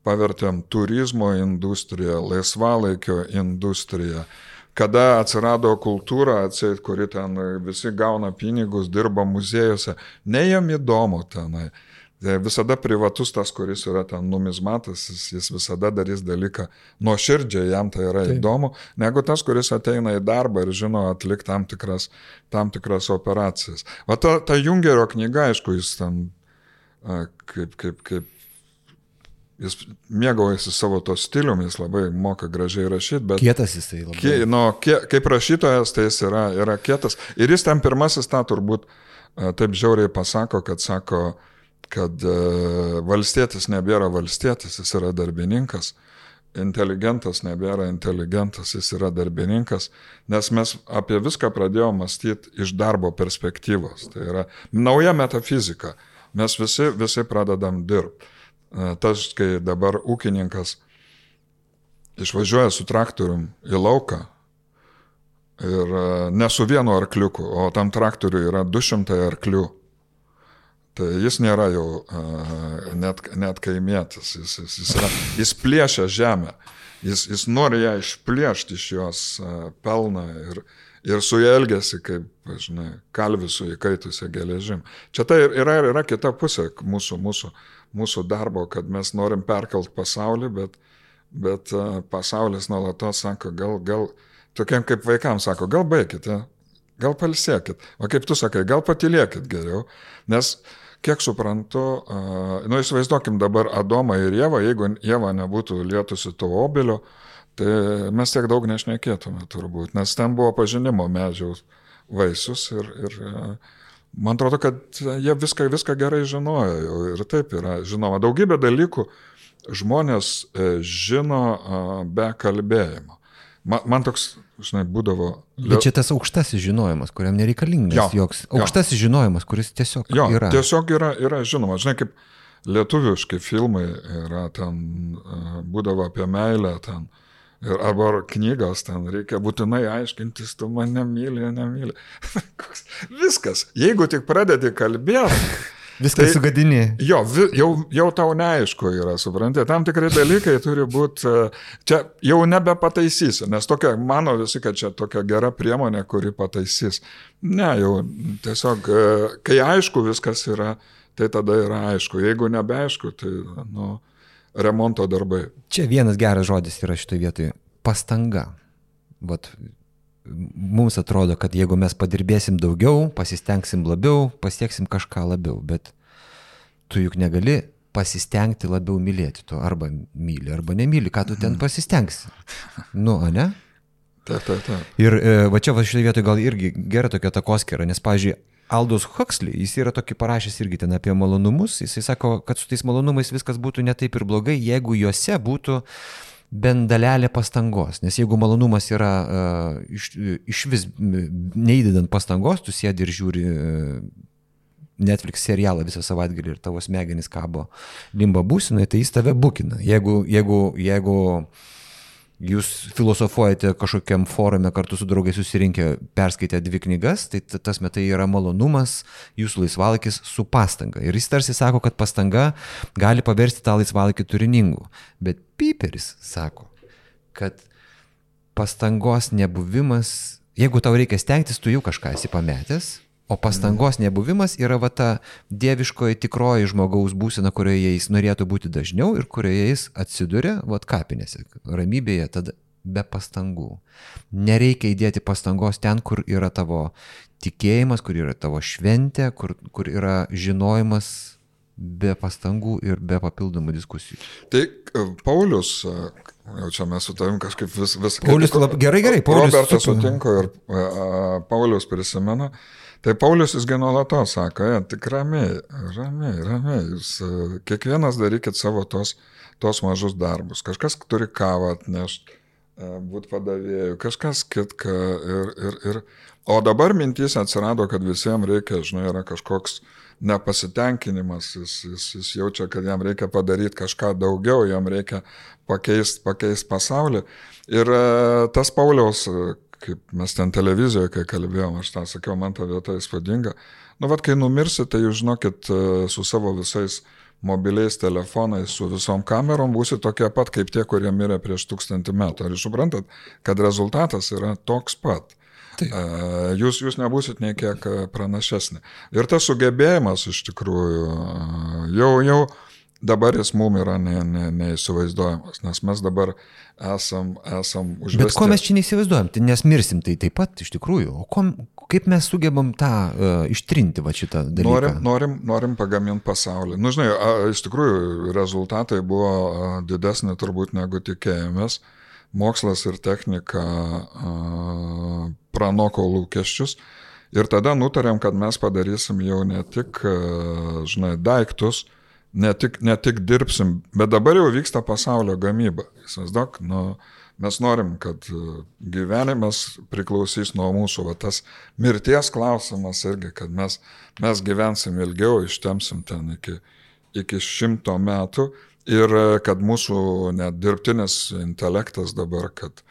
pavertėm turizmo industriją, laisvalaikio industriją, kada atsirado kultūra, atseit, kuri ten visi gauna pinigus, dirba muziejuose, ne jam įdomu tenai. Visada privatus tas, kuris yra ten numizmatas, jis visada darys dalyką nuoširdžiai, jam tai yra įdomu, negu tas, kuris ateina į darbą ir žino atlikti tam tikras operacijas. Va ta Jungerio knyga, aišku, jis ten kaip jis mėgaujasi savo to stiliumi, jis labai moka gražiai rašyti, bet... Kietas jisai labai. Kaip rašytojas, tai jis yra kietas. Ir jis ten pirmasis tą turbūt taip žiauriai pasako, kad valstietis nebėra valstietis, jis yra darbininkas, inteligentas nebėra inteligentas, jis yra darbininkas, nes mes apie viską pradėjome mąstyti iš darbo perspektyvos. Tai yra nauja metafizika. Mes visi pradedam dirbti. Tas, kai dabar ūkininkas išvažiuoja su traktorium į lauką, Ir ne su vienu arkliuku, o tam traktoriui yra 200 arklių. Tai jis nėra jau net kaimietis, jis plėšia žemę, jis nori ją išplėšti iš jos pelną ir su ją elgiasi kaip, žinai, kalvis su įkaitusia geležim. Čia tai yra kita pusė mūsų darbo, kad mes norim perkelt pasaulį, bet pasaulis nuolatos sako, gal tokiem kaip vaikams sako, gal baikite, gal palsėkit, o kaip tu sakai, gal patylėkit geriau, nes kiek suprantu, įsivaizduokim dabar Adomą ir Ievą, jeigu Ieva nebūtų lietusi to obelio, tai mes tiek daug nešnekėtume turbūt, nes ten buvo pažinimo medžiaus vaisius ir man atrodo, kad jie viską gerai žinojo ir taip yra žinoma. Daugybė dalykų žmonės žino be kalbėjimo. Man toks, žinai, būdavo... Bet čia tas aukštasis žinojimas, kuriam nereikalingas joks. Aukštasis žinojimas, kuris tiesiog yra. Tiesiog yra žinoma. Žinai, kaip lietuviški filmai yra ten, būdavo apie meilę ten, arba knygos ten, reikia būtinai aiškintis, tu mane nemyli. Viskas. Jeigu tik pradedi kalbėti... Viskas sugadini. Jau tau neaišku yra, supranti, tam tikrai dalykai turi būti, čia jau nebepataisysi, nes tokia, mano visi, kad čia tokia gera priemonė, kuri pataisys. Ne, jau tiesiog, kai aišku viskas yra, tai tada yra aišku, jeigu nebeaišku, tai, remonto darbai. Čia vienas geras žodis yra šitoje vietoje – pastanga. Vat. Mums atrodo, kad jeigu mes padirbėsim daugiau, pasistengsim labiau, pasieksim kažką labiau, bet tu juk negali pasistengti labiau mylėti to, arba myli, arba nemyli, ką tu ten pasistengsi. Ne? Taip. Ir va čia šitoje vietoje gal irgi gera tokia takoskyra, nes, pavyzdžiui, Aldous Huxley, jis yra tokį parašęs irgi ten apie malonumus, jisai sako, kad su tais malonumais viskas būtų ne taip ir blogai, jeigu juose būtų bent dalelė pastangos, nes jeigu malonumas yra iš vis neįdedant pastangos, tu sėdi ir žiūri Netflix serialą visą savaitgalį ir tavo smegenys kabo limbo būsinoje, tai jis tave bukina. Jeigu jūs filosofuojate kažkokiam forume kartu su draugais susirinkę, perskaitę 2 knygas, tai tas metai yra malonumas, jūsų laisvalakis su pastanga. Ir jis tarsi sako, kad pastanga gali paversti tą laisvalakį turiningu. Bet Piperis sako, kad pastangos nebuvimas, jeigu tau reikia stengtis, tu jau kažką esi pametęs, o pastangos nebuvimas yra va ta dieviškoji tikroji žmogaus būsena, kurioje jis norėtų būti dažniau ir kurioje jis atsiduria, va kapinėse, ramybėje, tada be pastangų. Nereikia įdėti pastangos ten, kur yra tavo tikėjimas, kur yra tavo šventė, kur yra žinojimas be pastangų ir be papildomų diskusijų. Tai Paulius, jau čia mes su tavim kažkaip vis Paulius, gerai, Paulius. Robertas sutinko ir Paulius prisimena. Tai Paulius jis nuolatos sako, tik ramiai, jūs kiekvienas darykit savo tos mažus darbus. Kažkas turi kavą atnešti, būti padavėjų, kažkas kitką. O dabar mintys atsirado, kad visiems reikia, yra kažkoks nepasitenkinimas, jis jaučia, kad jam reikia padaryti kažką daugiau, jam reikia pakeist pasaulį. Ir tas Pauliaus, kaip mes ten televizijoje, kai kalbėjom, aš tą sakiau, man ta vieta įspūdinga. Kai numirsit, tai jūs žinokit, su savo visais mobiliais telefonais, su visom kamerom būsit tokie pat, kaip tie, kurie mirė prieš 1000 metų. Ar jūs suprantat, kad rezultatas yra toks pat? Jūs nebūsit nei kiek pranašesni. Ir tas sugebėjimas iš tikrųjų jau dabar jis mums yra neįsivaizduojamas, nes mes dabar esam užvesti. Bet ko mes čia neįsivaizduojam, nes mirsim tai taip pat iš tikrųjų. O kaip mes sugebam tą ištrinti va šitą dalyką? Norim pagaminti pasaulį. Žinai, iš tikrųjų rezultatai buvo didesni turbūt negu tikėjomės. Mokslas ir technika pranoko lūkesčius. Ir tada nutarėm, kad mes padarysim jau ne tik, daiktus, ne tik dirbsim, bet dabar jau vyksta pasaulio gamyba. Įsivaizduok, mes norim, kad gyvenimas priklausys nuo mūsų, va tas mirties klausimas irgi, kad mes gyvensim ilgiau, ištemsim ten iki 100 metų ir kad mūsų net dirbtinis intelektas dabar, kad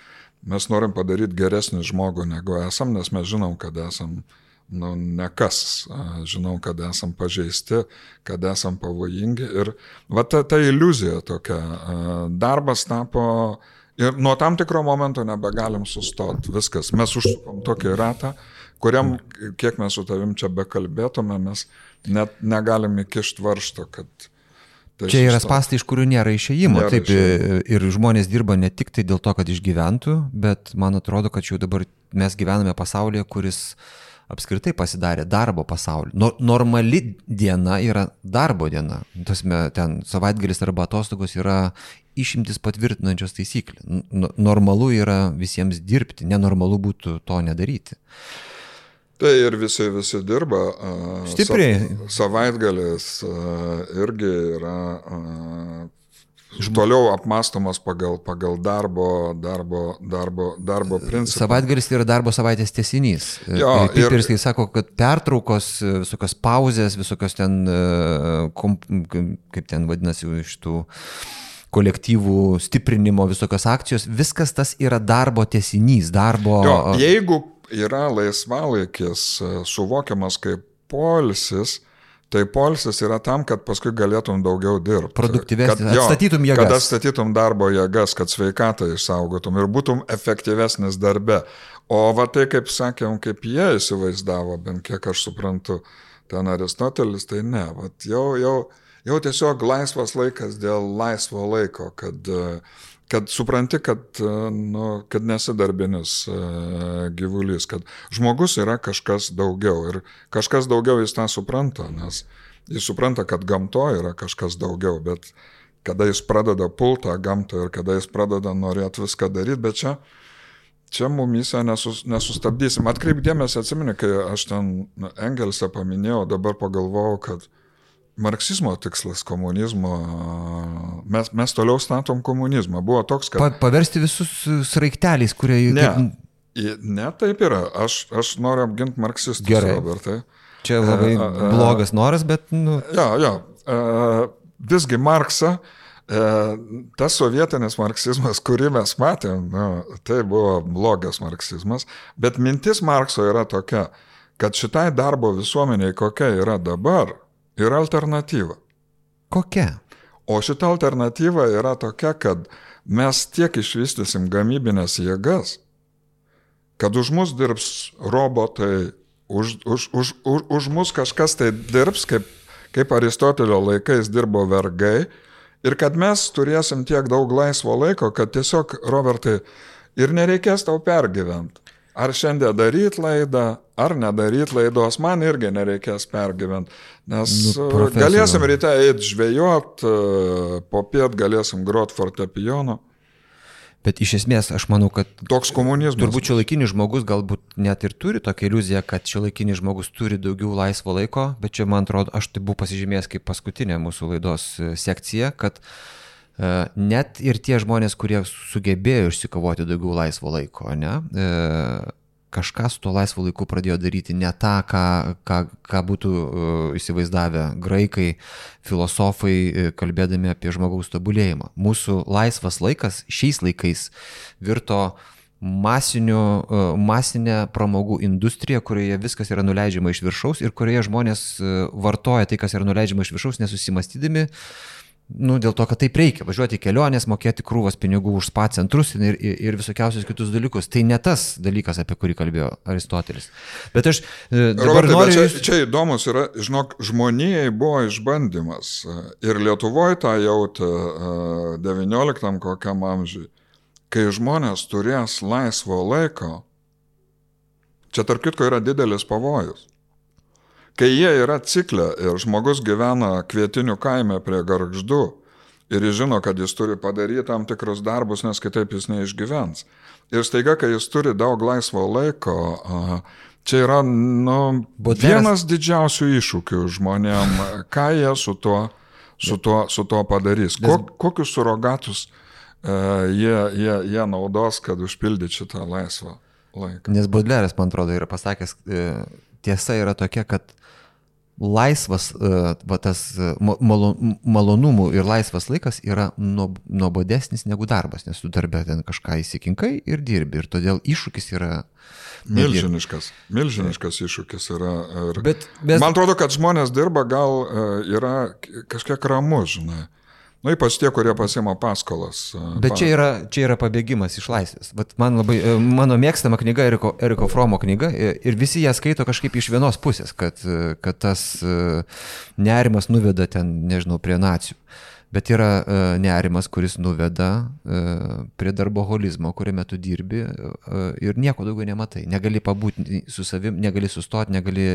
Mes norim padaryti geresnį žmogų, negu esam, nes mes žinom, kad esam nekas. Žinom, kad esam pažeisti, kad esam pavojingi. Ir va ta iliuzija tokia. Darbas tapo ir nuo tam tikro momento nebegalim sustoti. Viskas. Mes užsukom tokį ratą, kuriam, kiek mes su tavim čia bekalbėtume, mes net negalim įkišti varžto, kad tai čia yra spąstai, iš kurių nėra išėjimo. Taip, ir žmonės dirba ne tik tai dėl to, kad išgyventų, bet man atrodo, kad jau dabar mes gyvename pasaulyje, kuris apskritai pasidarė darbo pasaulį. Normali diena yra darbo diena. Ten savaitgalis arba atostogos yra išimtis patvirtinančios taisyklė. Normalu yra visiems dirbti, nenormalu būtų to nedaryti. Tai ir visi dirba. Stipriai. Savaitgalis irgi yra toliau apmastomas pagal darbo principą. Savaitgalis yra darbo savaitės tęsinys. Piperskai sako, kad pertraukos, visokios pauzės, visokios ten, kaip ten vadinasi, iš tų kolektyvų stiprinimo, visokios akcijos, viskas tas yra darbo tęsinys, darbo... Jeigu yra laisvalaikis suvokiamas kaip poilsis, tai poilsis yra tam, kad paskui galėtum daugiau dirbti. Produktyvesnis, atstatytum jėgas. Kad atstatytum darbo jėgas, kad sveikatą išsaugotum ir būtum efektyvesnis darbe. O va tai, kaip sakėm, kaip jie įsivaizdavo, bent kiek aš suprantu, ten Aristotelis, tai ne. Vat jau tiesiog laisvas laikas dėl laisvo laiko, kad supranti, kad nesi darbinis gyvulys, kad žmogus yra kažkas daugiau ir kažkas daugiau jis tą supranta, nes jis supranta, kad gamtoje yra kažkas daugiau, bet kada jis pradeda pultą gamtą ir kada jis pradeda norėti viską daryti, bet čia mumyse nesustabdysim. Atkreip dėmesį, atsimeni, kai aš ten Engelsą paminėjau, dabar pagalvojau, kad marksizmo tikslas komunizmo, mes toliau statom komunizmą. Buvo toks, kad... Paversti visus sraigteliais, kurie... Ne, taip yra. Aš noriu apginti marksistus, Robertai. Čia labai blogas noras, bet... Visgi Marksą, tas sovietinis marksizmas, kurį mes matėm, tai buvo blogas marksizmas, bet mintis Markso yra tokia, kad šitai darbo visuomeniai, kokia yra dabar, yra alternatyva. Kokia? O šita alternatyva yra tokia, kad mes tiek išvystysim gamybinės jėgas, kad už mus dirbs robotai, už mus kažkas tai dirbs, kaip Aristotelio laikais dirbo vergai, ir kad mes turėsim tiek daug laisvo laiko, kad tiesiog, Robertai, ir nereikės tau pergyventi. Ar šiandien daryti laidą, ar nedaryti laidos, man irgi nereikės pergyventi, nes galėsim ryte eiti žvejot, popiet galėsim grot fortepijonu. Bet iš esmės, aš manau, kad toks komunizmas. Turbūt šiuolaikinis žmogus galbūt net ir turi tokią iliuziją, kad šiuolaikinis žmogus turi daugiau laisvo laiko, bet čia, man atrodo, aš tai buvau pasižymėjęs kaip paskutinė mūsų laidos sekcija, kad net ir tie žmonės, kurie sugebėjo išsikovoti daugiau laisvo laiko, kažką su tuo laisvo laiku pradėjo daryti ne tą, ką būtų įsivaizdavę graikai, filosofai, kalbėdami apie žmogaus tobulėjimą. Mūsų laisvas laikas šiais laikais virto masinė pramogų industrija, kurioje viskas yra nuleidžiama iš viršaus ir kurioje žmonės vartoja tai, kas yra nuleidžiama iš viršaus, nesusimastydami, dėl to, kad taip reikia važiuoti į kelionės, mokėti krūvas pinigų už spa centrus ir visokiausius kitus dalykus. Tai ne tas dalykas, apie kurį kalbėjo Aristotelis. Bet aš dabar Robertai, noriu... Čia įdomus yra, žinok, žmonijai buvo išbandymas. Ir Lietuvoje tą jautė 19 kokiam amžiui. Kai žmonės turės laisvo laiko, čia tarp kitko yra didelis pavojus. Kai jie yra cikle ir žmogus gyvena Kvietinių kaime prie Gargždų ir jis žino, kad jis turi padaryti tam tikrus darbus, nes kitaip jis neišgyvens. Ir staiga, kai jis turi daug laisvo laiko, čia yra vienas didžiausių iššūkių žmonėm, ką jie su tuo padarys. Kokius surogatus jie naudos, kad užpildyti šitą laisvą laiką. Nes Baudelaires, man atrodo, yra pasakęs, tiesa yra tokia, kad laisvas, tas malonumų ir laisvas laikas yra nuobodesnis negu darbas, nes tu darbę ten kažką įsikinkai ir dirbi. Ir todėl iššūkis yra... Milžiniškas iššūkis yra. Man atrodo, kad žmonės dirba, gal yra kažkiek ramu, žinai. Nu, ypač tie, kurie pasiima paskolas. Bet čia yra pabėgimas iš laisvės. Bet mano mėgstama knyga, Eriko Fromo knyga, ir visi ją skaito kažkaip iš vienos pusės, kad tas nerimas nuveda ten, nežinau, prie nacijų. Bet yra nerimas, kuris nuveda prie darboholizmo, kuriame tu dirbi ir nieko daugiau nematai. Negali pabūti su savim, negali sustoti, negali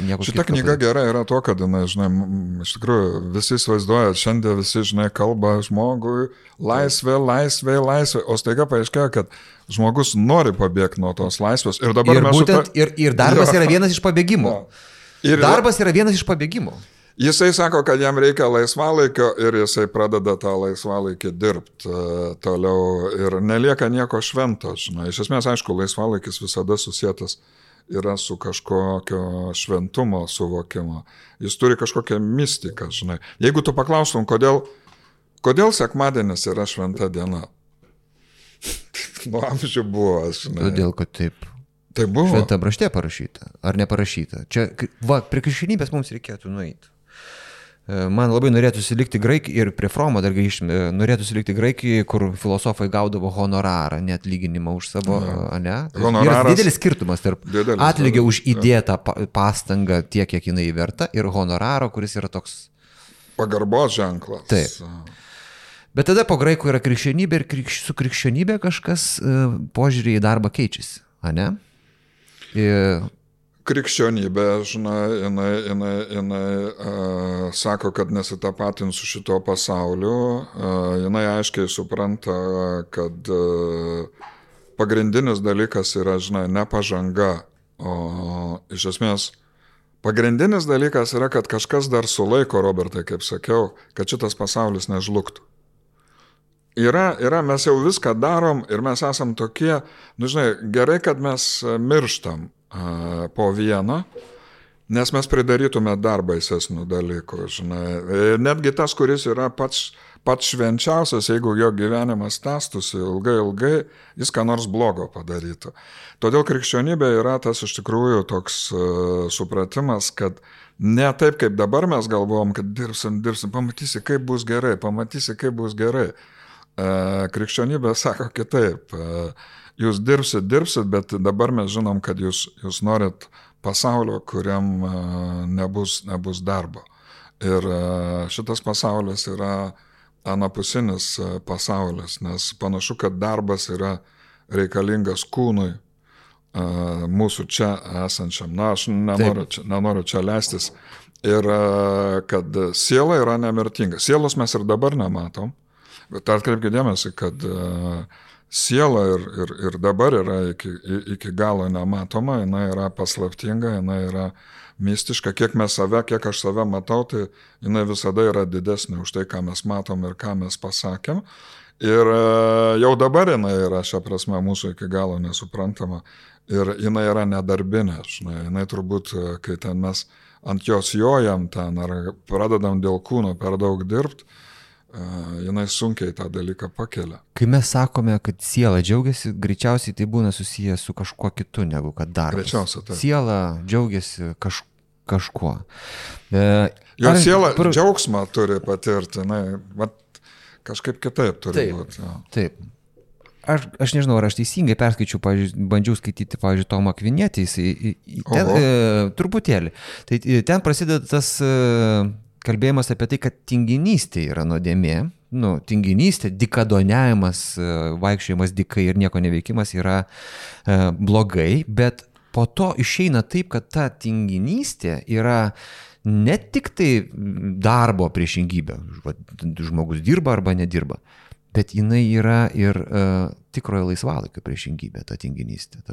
nieko. Šita knyga gera yra to, kad, žinai, iš tikrųjų visi įsivaizduoja, šiandien visi, žinai, kalba žmogui laisvė, o staiga paaiškėjo, kad žmogus nori pabėgti nuo tos laisvės. Ir dabar ir darbas yra vienas iš pabėgimų. Darbas yra vienas iš pabėgimų. Jisai sako, kad jam reikia laisvalaikio ir jisai pradeda tą laisvalaikį dirbti toliau ir nelieka nieko švento, žinai. Iš esmės, aišku, laisvalaikis visada susietas yra su kažkokio šventumo suvokimo. Jis turi kažkokią mistiką, žinai. Jeigu tu paklaustum, kodėl sekmadienis yra šventa diena? Nuo amžių buvo, žinai. Todėl, kad taip. Tai buvo. Šventą rašte parašyta, ar neparašyta. Čia, prie krikščionybės mums reikėtų nueiti. Man labai norėtųsi likti Graikijoje ir prie Fromo dar grįžtume, norėtųsi likti Graikijoje, kur filosofai gaudavo honorarą, net lyginimą už savo, ne? Yra didelis skirtumas tarp atlygio už įdėtą pastangą tiek, kiek jinai verta, ir honoraro, kuris yra toks... Pagarbos ženklas. Taip. Bet tada po graikų yra krikščionybė ir su krikščionybė kažkas požiūrį į darbą keičiasi, ne? Krikščionybė, žinai, jinai sako, kad nesitapatins su šito pasauliu, jinai aiškiai supranta, kad pagrindinis dalykas yra, žinai, ne pažanga, o iš esmės pagrindinis dalykas yra, kad kažkas dar sulaiko, Robertai, kaip sakiau, kad šitas pasaulis nežlugtų. Yra, mes jau viską darom ir mes esam tokie, žinai, gerai, kad mes mirštam po vieną, nes mes pridarytume dar baisesnių dalykų, žinai. Netgi tas, kuris yra pats švenčiausias, jeigu jo gyvenimas tęstųsi ilgai, jis ką nors blogo padarytų. Todėl krikščionybė yra tas iš tikrųjų toks supratimas, kad ne taip, kaip dabar mes galvojom, kad dirbsim, pamatysi, kaip bus gerai. Krikščionybė sako kitaip. Jūs dirbsit, bet dabar mes žinom, kad jūs norit pasaulio, kuriam nebus darbo. Ir šitas pasaulis yra anapusinis pasaulis, nes panašu, kad darbas yra reikalingas kūnui, mūsų čia esančiam. Na, aš nenoriu čia leistis. Ir kad siela yra nemirtinga. Sielos mes ir dabar nematom, bet atkreipkite dėmesį, kad siela ir dabar yra iki galo nematoma, jinai yra paslaptinga, jinai yra mistiška, kiek aš save matau, tai jinai visada yra didesnė už tai, ką mes matom ir ką mes pasakėm. Ir jau dabar jinai yra šią prasme mūsų iki galo nesuprantama ir jinai yra nedarbinė, jinai turbūt, kai ten mes ant jos jojam ten ar pradedam dėl kūno per daug dirbti, jinai sunkiai tą dalyką pakelia. Kai mes sakome, kad siela džiaugiasi, greičiausiai tai būna susijęs su kažkuo kitu negu kad darbas. Greičiausiai taip. Siela džiaugiasi kažkuo. Siela džiaugsmą turi patirti, kažkaip kitaip turi būti. Taip. Aš nežinau, ar aš teisingai perskaičiau, bandžiau skaityti, Tomą Akvinietį, truputėlį. Tai ten prasideda tas kalbėjimas apie tai, kad tinginystė yra nuodėmė. Tinginystė, dikadoniavimas, vaikščiojimas dykai ir nieko neveikimas yra blogai, bet po to išeina taip, kad ta tinginystė yra ne tik tai darbo priešingybė, žmogus dirba arba nedirba, bet jinai yra ir tikrojo laisvalaikio priešingybė, ta tinginystė.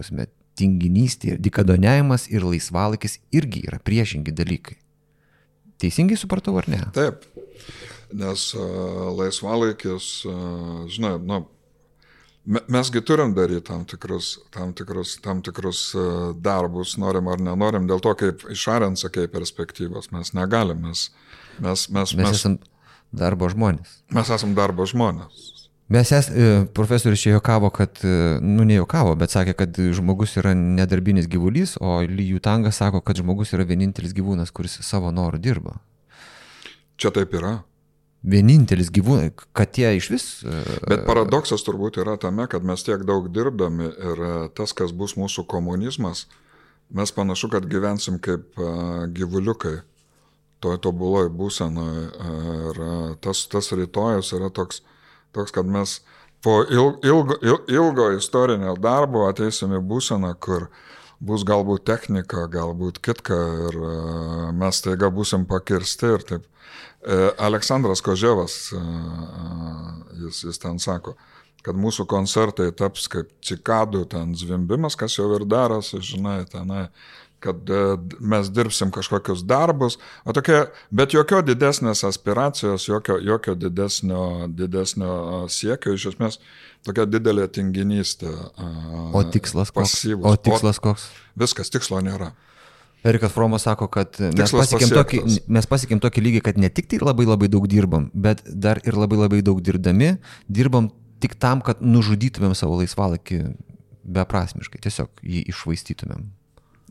Tinginystė, dikadoniavimas ir laisvalaikis irgi yra priešingi dalykai. Teisingai supratau, ar ne? Taip, nes laisvalaikis, žinai, Mesgi turim daryti tam tikrus darbus, norim ar nenorim, dėl to, kaip išarint, sakai, perspektyvos, mes negalim, mes esam darbo žmonės. Mes esam darbo žmonės. Profesorius čia juokavo, kad, nejuokavo, bet sakė, kad žmogus yra nedarbinis gyvulys, o Lijų Tangas sako, kad žmogus yra vienintelis gyvūnas, kuris savo norų dirba. Čia taip yra. Vienintelis gyvūnas, kad jie iš vis... Bet paradoksas turbūt yra tame, kad mes tiek daug dirbdami ir tas, kas bus mūsų komunizmas, mes panašu, kad gyvensim kaip gyvuliukai, toj tobuloj būsenoj. Ir tas rytojus yra toks, kad mes po ilgo istorinio darbo ateisim į būseną, kur bus galbūt technika, galbūt kitka ir mes taiga būsim pakirsti ir taip. Aleksandras Koževas, jis ten sako, kad mūsų koncertai taps kaip cikadų ten zvimbimas, kas jau ir darosi, žinai, tenai, kad mes dirbsim kažkokius darbus, bet jokio didesnės aspiracijos, jokio didesnio siekio, iš esmės tokia didelė tinginystė. O tikslas koks? Pasyvus. O tikslas koks? Viskas, tikslo nėra. Erikas Fromas sako, kad mes pasiekėm tokį lygį, kad ne tik tai labai labai daug dirbam, bet dar ir labai labai daug dirbam tik tam, kad nužudytumėm savo laisvalaikį beprasmiškai, tiesiog jį iššvaistytumėm.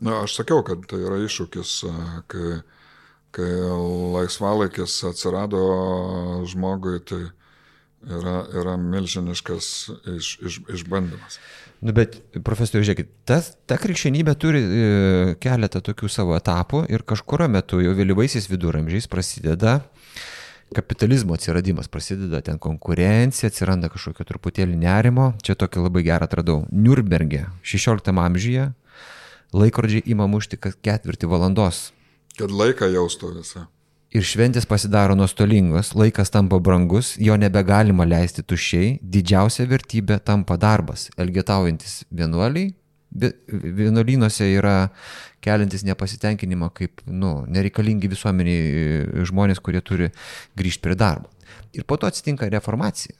Na, aš sakiau, kad tai yra iššūkis, kai laisvalaikis atsirado žmogui, tai yra milžiniškas išbandymas. Bet, profesoriau, žiūrėkit, ta krikščionybė turi keletą tokių savo etapų ir kažkurio metu jau vėlyvaisiais viduramžiais prasideda kapitalizmo atsiradimas, prasideda ten konkurencija, atsiranda kažkokio truputėlį nerimo. Čia tokį labai gerą atradau. Niurnberge 16 amžiuje laikrodžiai ima mušti kas 4 valandos. Kad laiką jaustų visą. Ir šventės pasidaro nuostolingos, laikas tampa brangus, jo nebegalima leisti tuščiai, didžiausia vertybė tampa darbas. Elgetaujantis vienuoliai, vienuolynuose yra keliantis nepasitenkinimą kaip nereikalingi visuomeniai žmonės, kurie turi grįžti prie darbo. Ir po to atsitinka reformacija.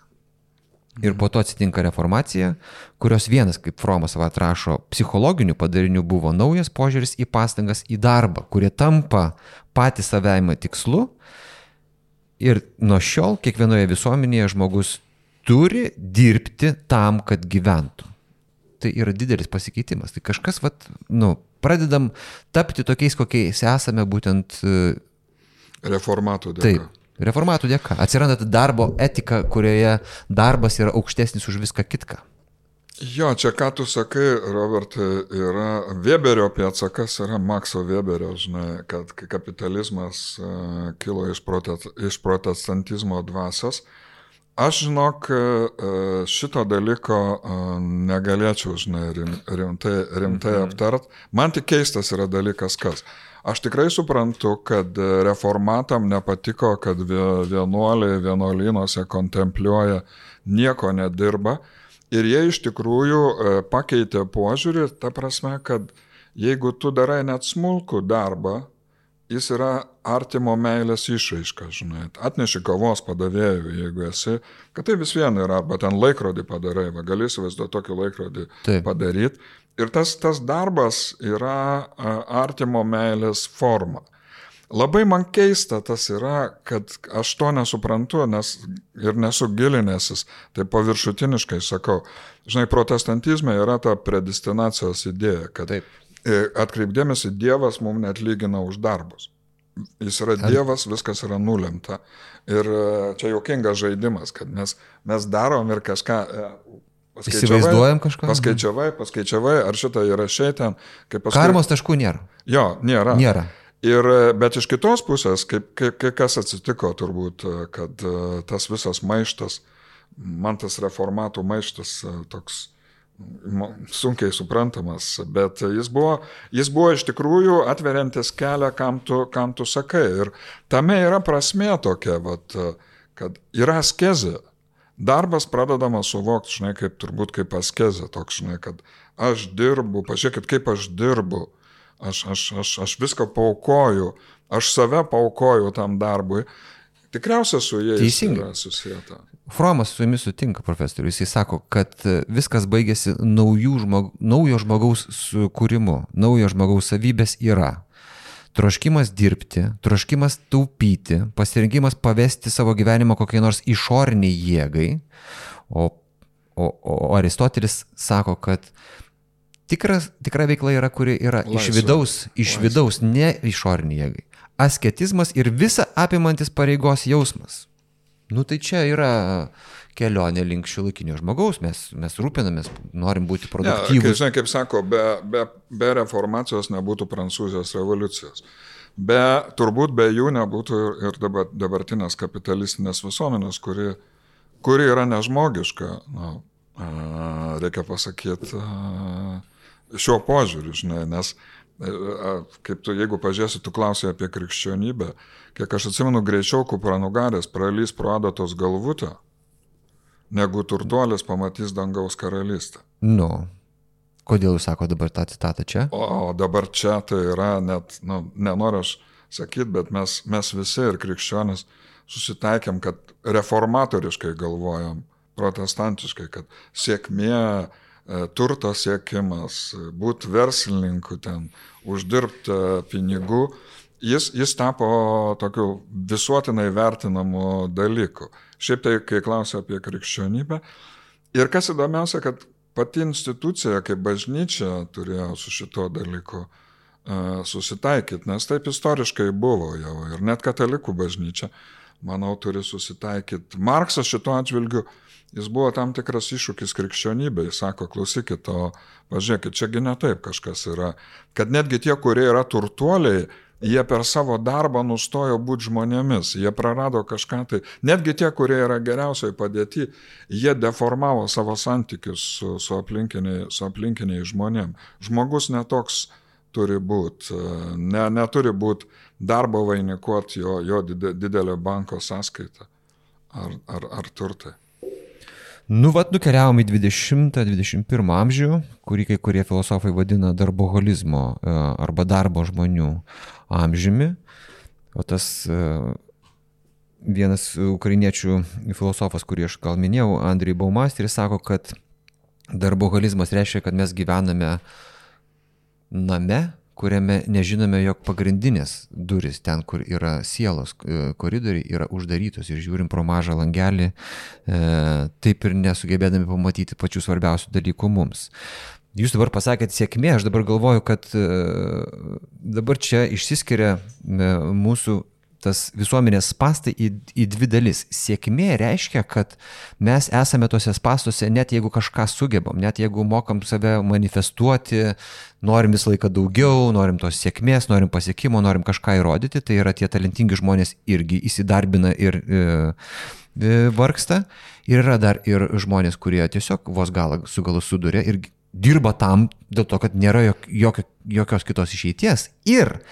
Kurios vienas, kaip Fromas atrašo, psichologinių padarinių buvo naujas požiūris į pastangas į darbą, kurie tampa patys savaime tikslu. Ir nuo šiol kiekvienoje visuomenėje žmogus turi dirbti tam, kad gyventų. Tai yra didelis pasikeitimas. Tai kažkas, pradedam tapti tokiais, kokiais esame būtent... Reformatų dėka. Taip. Reformatų dėka. Atsiranda darbo etika, kurioje darbas yra aukštesnis už viską kitką. Jo, čia ką tu sakai, Robertai, yra Weberio pėdsakas, yra Makso Weberio, žinai, kad kapitalizmas kilo iš protestantizmo dvasios. Aš, žinok, šito dalyko negalėčiau, žinai, rimtai aptart. Man tik keistas yra dalykas kas. Aš tikrai suprantu, kad reformatam nepatiko, kad vienuoliai vienuolynuose kontempliuoja, nieko nedirba. Ir jie iš tikrųjų pakeitė požiūrį, ta prasme, kad jeigu tu darai net smulkų darbą, jis yra artimo meilės išraiška, žinai. Atneši kavos padavėjų, jeigu esi, kad tai vis viena yra, arba ten laikrodį padarai, gali įsivaizduoti tokį laikrodį padaryti. Ir tas darbas yra artimo meilės forma. Labai man keista tas yra, kad aš to nesuprantu, nes ir nesu gilinęsis, tai paviršutiniškai sakau. Žinai, protestantizme yra ta predestinacijos idėja, kad atkreipdėmėsi Dievas mums neatlygina už darbus. Jis yra Dievas, viskas yra nulemta. Ir čia juokingas žaidimas, kad mes darom ir kažką... Įsivaizduojam kažką? Paskaičiavai, ar šitą įrašai ten. Karmos taškų nėra. Jo, nėra. Bet iš kitos pusės, kas atsitiko turbūt, kad tas visas maištas, man tas reformatų maištas toks sunkiai suprantamas, bet jis buvo iš tikrųjų atveriantis kelią, kam tu sakai. Ir tame yra prasmė tokia, kad yra askezė. Darbas pradedamas suvokti, žinai, kaip askezė, toks, žinai, kad aš dirbu, pažiūrėkit, kaip aš dirbu, aš viską paaukoju, aš save paaukoju tam darbui, tikriausiai su jais yra susijęta. Fromas su jumis sutinka, profesorius. Jisai sako, kad viskas baigėsi naujo žmogaus sukūrimu, naujo žmogaus savybės yra. Troškimas dirbti, troškimas taupyti, pasirinkimas pavesti savo gyvenimą kokiai nors išoriniai jėgai. O Aristotelis sako, kad tikra veikla yra, kuri yra iš vidaus, ne išoriniai jėgai. Asketizmas ir visa apimantis pareigos jausmas. Nu tai čia yra kelionė link šiuolaikinio žmogaus, mes rūpinamės, norim būti produktyvūs. Žinai, kaip sako, be reformacijos nebūtų Prancūzijos revoliucijos. Turbūt be jų nebūtų ir dabartinės kapitalistinės visuomenės, kuri yra nežmogiška, reikia pasakyti, šiuo požiūriu, žinai, nes kaip tu, jeigu pažiūrėsi, tu klausai apie krikščionybę, kiek aš atsimenu, greičiau kupranugaris pralys pro adatos galvutę, negu turtuolis pamatys dangaus karalystę. Nu, kodėl jūs sako dabar tą citatą čia? O dabar čia tai yra net, nenoriu aš sakyti, bet mes visi ir krikščionis susitaikėm, kad reformatoriškai galvojam, protestantiškai, kad sėkmė, turto siekimas, būti verslininku ten, uždirbti pinigų, jis tapo tokiu visuotinai vertinamu dalyku. Šiaip tai, kai klausia apie krikščionybę. Ir kas įdomiausia, kad pati institucija, kaip bažnyčia, turėjo su šito dalyku susitaikyti, nes taip istoriškai buvo jau. Ir net katalikų bažnyčia, manau, turi susitaikyti. Marksas šito atžvilgiu, jis buvo tam tikras iššūkis krikščionybei. Jis sako, klausykit, pažiūrėkit, čiagi ne taip kažkas yra. Kad netgi tie, kurie yra turtuoliai, jie per savo darbą nustojo būti žmonėmis. Jie prarado kažką tai. Netgi tie, kurie yra geriausiai padėti, jie deformavo savo santykius su aplinkiniai žmonėm. Žmogus netoks turi būti. Neturi būti darbo vainikuoti jo didelio banko sąskaitą ar turtai. Nukeliavom į 20-21 amžių, kurį kai kurie filosofai vadina darboholizmo arba darbo žmonių amžiumi. O tas vienas ukrainiečių filosofas, kurį aš gal minėjau, Andrij Baumasteris, sako, kad darboholizmas reiškia, kad mes gyvename name, kuriame nežinome, jog pagrindinės durys, ten, kur yra sielos koridoriai, yra uždarytos ir žiūrim pro mažą langelį, taip ir nesugebėdami pamatyti pačių svarbiausių dalykų mums. Jūs dabar pasakėte sėkmė, aš dabar galvoju, kad dabar čia išsiskiria mūsų tas visuomenės spastai į dvi dalis. Sėkmė reiškia, kad mes esame tose spastuose, net jeigu kažką sugebam, net jeigu mokam save manifestuoti, norim visą laiką daugiau, norim tos sėkmės, norim pasiekimo, norim kažką įrodyti, tai yra tie talentingi žmonės irgi įsidarbina ir vargsta. Ir yra dar ir žmonės, kurie tiesiog vos galą su galu suduria ir dirba tam dėl to, kad nėra jokios kitos išeities. Ir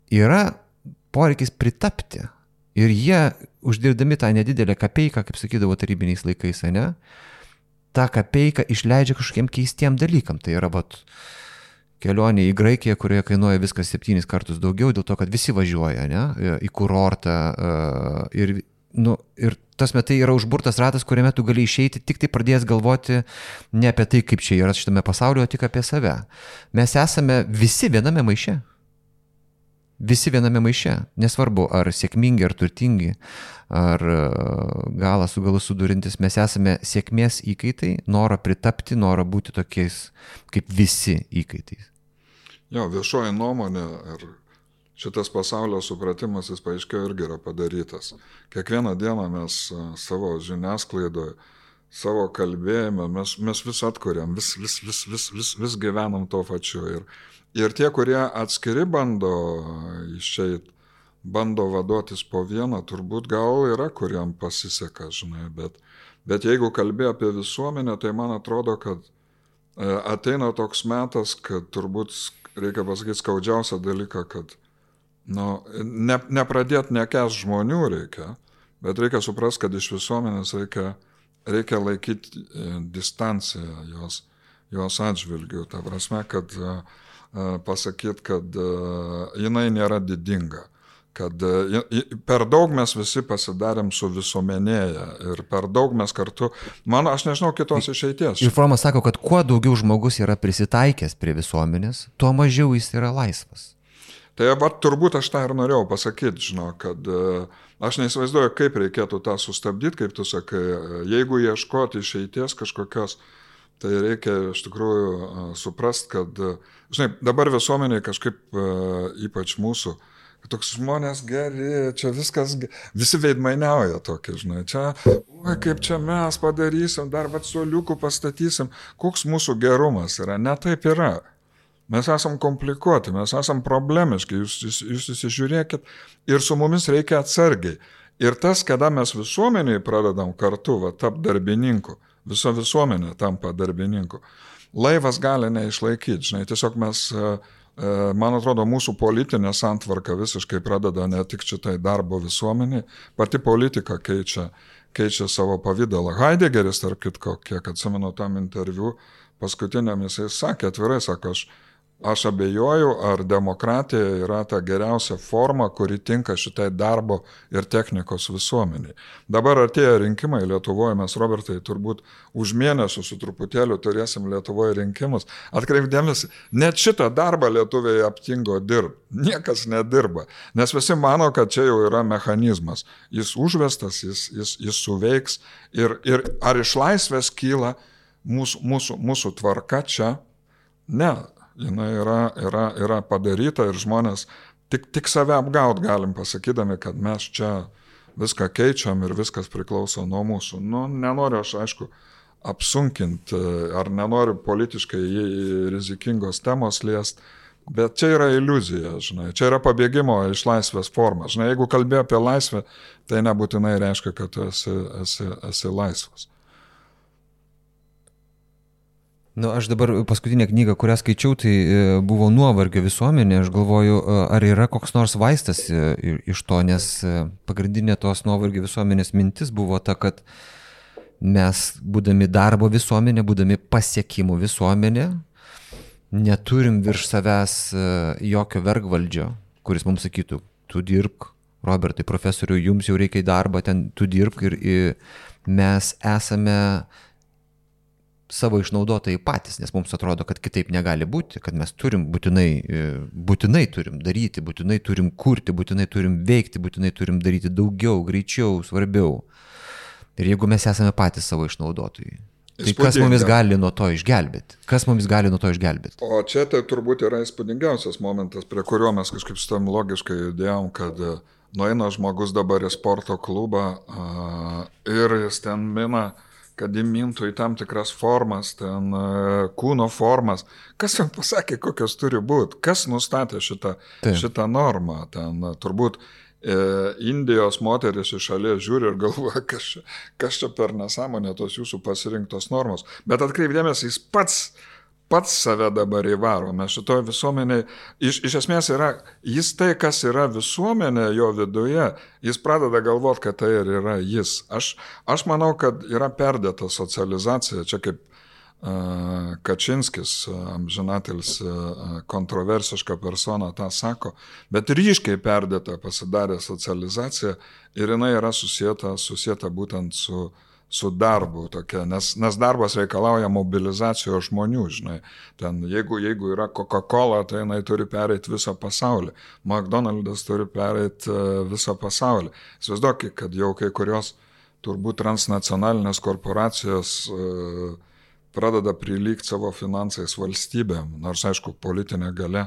yra poreikis pritapti. Ir jie, uždirbdami tą nedidelę kapeiką, kaip sakydavo tarybiniais laikais, ne, tą kapeiką išleidžia kažkokiem keistiem dalykam. Tai yra kelionė į Graikiją, kurioje kainuoja viskas 7 kartus daugiau, dėl to, kad visi važiuoja, ne, į kurortą. Ir tas metai yra užburtas ratas, kuriame tu gali išeiti tik tai pradėjęs galvoti ne apie tai, kaip čia yra šitame pasaulyje, o tik apie save. Mes esame visi viename maiše. Visi viename maiše, nesvarbu, ar sėkmingi, ar turtingi, ar galą su galu sudurintis, mes esame sėkmės įkaitai, noro pritapti, noro būti tokiais kaip visi įkaitais. Jo, viešoji nuomonė ir šitas pasaulio supratimas, jis paaiškėjo irgi yra padarytas. Kiekvieną dieną mes savo žiniasklaidoje, savo kalbėjime, mes vis atkuriam, vis gyvenam to pačiu. Ir tie, kurie atskiri bando išeit, bando vaduotis po vieną, turbūt gal yra, kuriam pasiseka, žinai, bet jeigu kalbė apie visuomenę, tai man atrodo, kad ateina toks metas, kad turbūt reikia pasakyti skaudžiausią dalyką, kad nepradėti nekęst žmonių reikia, bet reikia suprasti, kad iš visuomenės reikia laikyti distanciją jos atžvilgių. Ta prasme, kad pasakyti, kad jinai nėra didinga, kad per daug mes visi pasidarėm su visuomenėje ir per daug mes kartu, aš nežinau kitos išeities. Ir Fromas sako, kad kuo daugiau žmogus yra prisitaikęs prie visuomenės, tuo mažiau jis yra laisvas. Tai turbūt aš tą ir norėjau pasakyti, kad aš neįsivaizduoju, kaip reikėtų tą sustabdyti, kaip tu sakai, jeigu ieškoti išeities kažkokios, tai reikia iš tikrųjų suprast, kad, dabar visuomeniai kažkaip, ypač mūsų, kad toks žmonės geri, čia viskas, visi veidmainiauja tokie, čia, kaip čia mes padarysim, dar suoliukų pastatysim, koks mūsų gerumas yra, ne taip yra. Mes esam komplikuoti, mes esam problemiški, jūs įsižiūrėkit ir su mumis reikia atsargiai. Ir tas, kada mes visuomeniai pradedam kartu, tap darbininku, visa visuomenė tampa darbininku, laivas gali neišlaikyti, tiesiog mes, man atrodo, mūsų politinė santvarka visiškai pradeda ne tik šitai darbo visuomeniai, pati politika keičia savo pavydalą. Heideggeris, tarp kitko, kiek atsimenu tam interviu, paskutiniam jisai sakė, atvirai sako, aš abejoju, ar demokratija yra ta geriausia forma, kuri tinka šitai darbo ir technikos visuomeniai. Dabar artėja rinkimai Lietuvoje, mes, Robertai, turbūt už mėnesį su truputėliu turėsim Lietuvoje rinkimus. Atkreipdėmėsi, net šitą darbą lietuviai aptingo dirbti. Niekas nedirba, nes visi mano, kad čia jau yra mechanizmas. Jis užvestas, jis suveiks ir ar iš laisvės kyla mūsų tvarka čia? Ne. Jinai yra padaryta ir žmonės tik save apgaut galim pasakydami, kad mes čia viską keičiam ir viskas priklauso nuo mūsų. Nenoriu aš, aišku, apsunkinti ar nenoriu politiškai rizikingos temos liest, bet čia yra iliuzija, čia yra pabėgimo iš laisvės forma. Jeigu kalbė apie laisvę, tai nebūtinai reiškia, kad tu esi laisvas. Aš dabar paskutinę knygą, kurią skaičiau, tai buvo Nuovargio visuomenė. Aš galvoju, ar yra koks nors vaistas iš to, nes pagrindinė tos Nuovargio visuomenės mintis buvo ta, kad mes, būdami darbo visuomenė, būdami pasiekimų visuomenė, neturim virš savęs jokio vergvaldžio, kuris mums sakytų, tu dirbk, Robertai, profesoriu, jums jau reikia į darbą, ten tu dirbk ir mes esame savo išnaudotojai patys, nes mums atrodo, kad kitaip negali būti, kad mes turim būtinai turim daryti, būtinai turim kurti, būtinai turim veikti, būtinai turim daryti daugiau, greičiau, svarbiau. Ir jeigu mes esame patys savo išnaudotojai, tai kas mumis gali nuo to išgelbėti? O čia tai turbūt yra įspūdingiausias momentas, prie kurio mes kažkaip su tam logiškai judėjom, kad nueina žmogus dabar į sporto klubą ir jis ten mina, kad įmintų į tam tikras formas, ten kūno formas. Kas jam pasakė, kokios turi būti? Kas nustatė šitą normą? Ten turbūt Indijos moteris iš šalies žiūri ir galvoja, kas čia per nesąmonė tos jūsų pasirinktos normos. Bet atkreipdėmės, jis pats save dabar įvaro. Mes šitoje visuomenėje, iš esmės yra, jis tai, kas yra visuomenė jo viduje, jis pradeda galvoti, kad tai ir yra jis. Aš manau, kad yra perdėta socializacija, čia kaip Kačinskis, amžinatilis kontroversiška persona, tą sako, bet ryškiai perdėta pasidarė socializacija ir jinai yra susieta būtent su darbu tokia, nes darbas reikalauja mobilizacijos žmonių, ten jeigu yra Coca-Cola, tai jinai turi pereiti visą pasaulį, McDonald's turi pereiti visą pasaulį. Įsivaizduokit, kad jau kai kurios turbūt transnacionalinės korporacijos pradeda prilygti savo finansais valstybėm, nors aišku politinė galia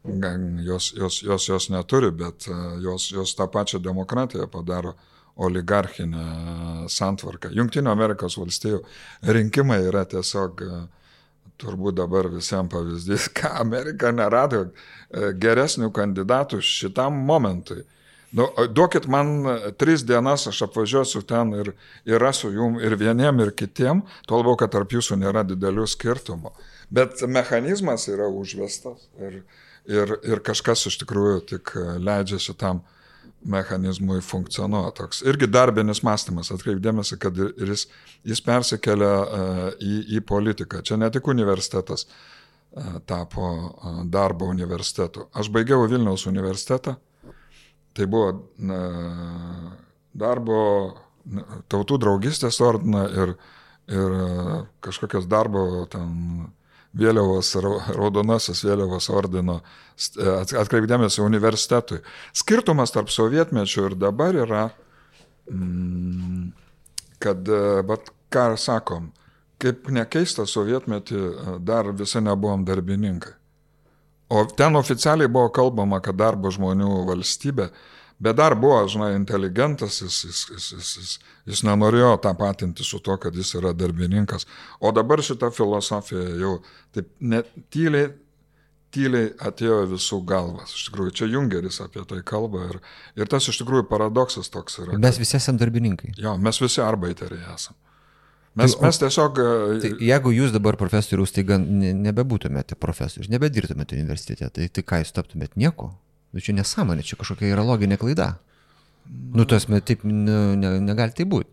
jos neturi, bet jos tą pačią demokratiją padaro oligarchinę santvarką. Jungtinių Amerikos valstijų rinkimai yra tiesiog turbūt dabar visiems pavyzdys, ką Amerika nerado geresnių kandidatų šitam momentui. Duokit man 3 dienas, aš apvažiuosiu ten ir rasiu jum ir vieniem, ir kitiem, tuo labiau, kad tarp jūsų nėra didelių skirtumų. Bet mechanizmas yra užvestas ir kažkas iš tikrųjų tik leidžia šitam mechanizmui funkcionuoja toks. Irgi darbinis mąstymas, atkreipdėmėsi, kad ir jis persikelia į politiką. Čia ne tik universitetas tapo darbo universitetu. Aš baigiau Vilniaus universitetą, tai buvo darbo tautų draugystės ordiną ir kažkokios darbo ten vėliavos, raudonasis vėliavos ordino atkreipdėmėsi universitetui. Skirtumas tarp sovietmečio ir dabar yra, kad, bet ką sakom, kaip nekeista sovietmetį dar visi nebuvom darbininkai. O ten oficialiai buvo kalbama, kad darbo žmonių valstybė, bet dar buvo, žinai, inteligentas, jis nenorėjo tapatinti su to, kad jis yra darbininkas. O dabar šita filosofija jau taip net tyliai atėjo visų galvas. Iš tikrųjų, čia Jungeris apie tai kalba ir tas iš tikrųjų paradoksas toks yra. Mes visi esame darbininkai. Jo, mes visi arbaiteriai esame. Mes tiesiog... Tai jeigu jūs dabar profesorius, tai nebebūtumėte profesorius, nebedirbtumėte universitete, tai ką jūs taptumėte nieko? Čia nesąmonė, čia kažkokia yra loginė klaida. Tas taip negali tai būti.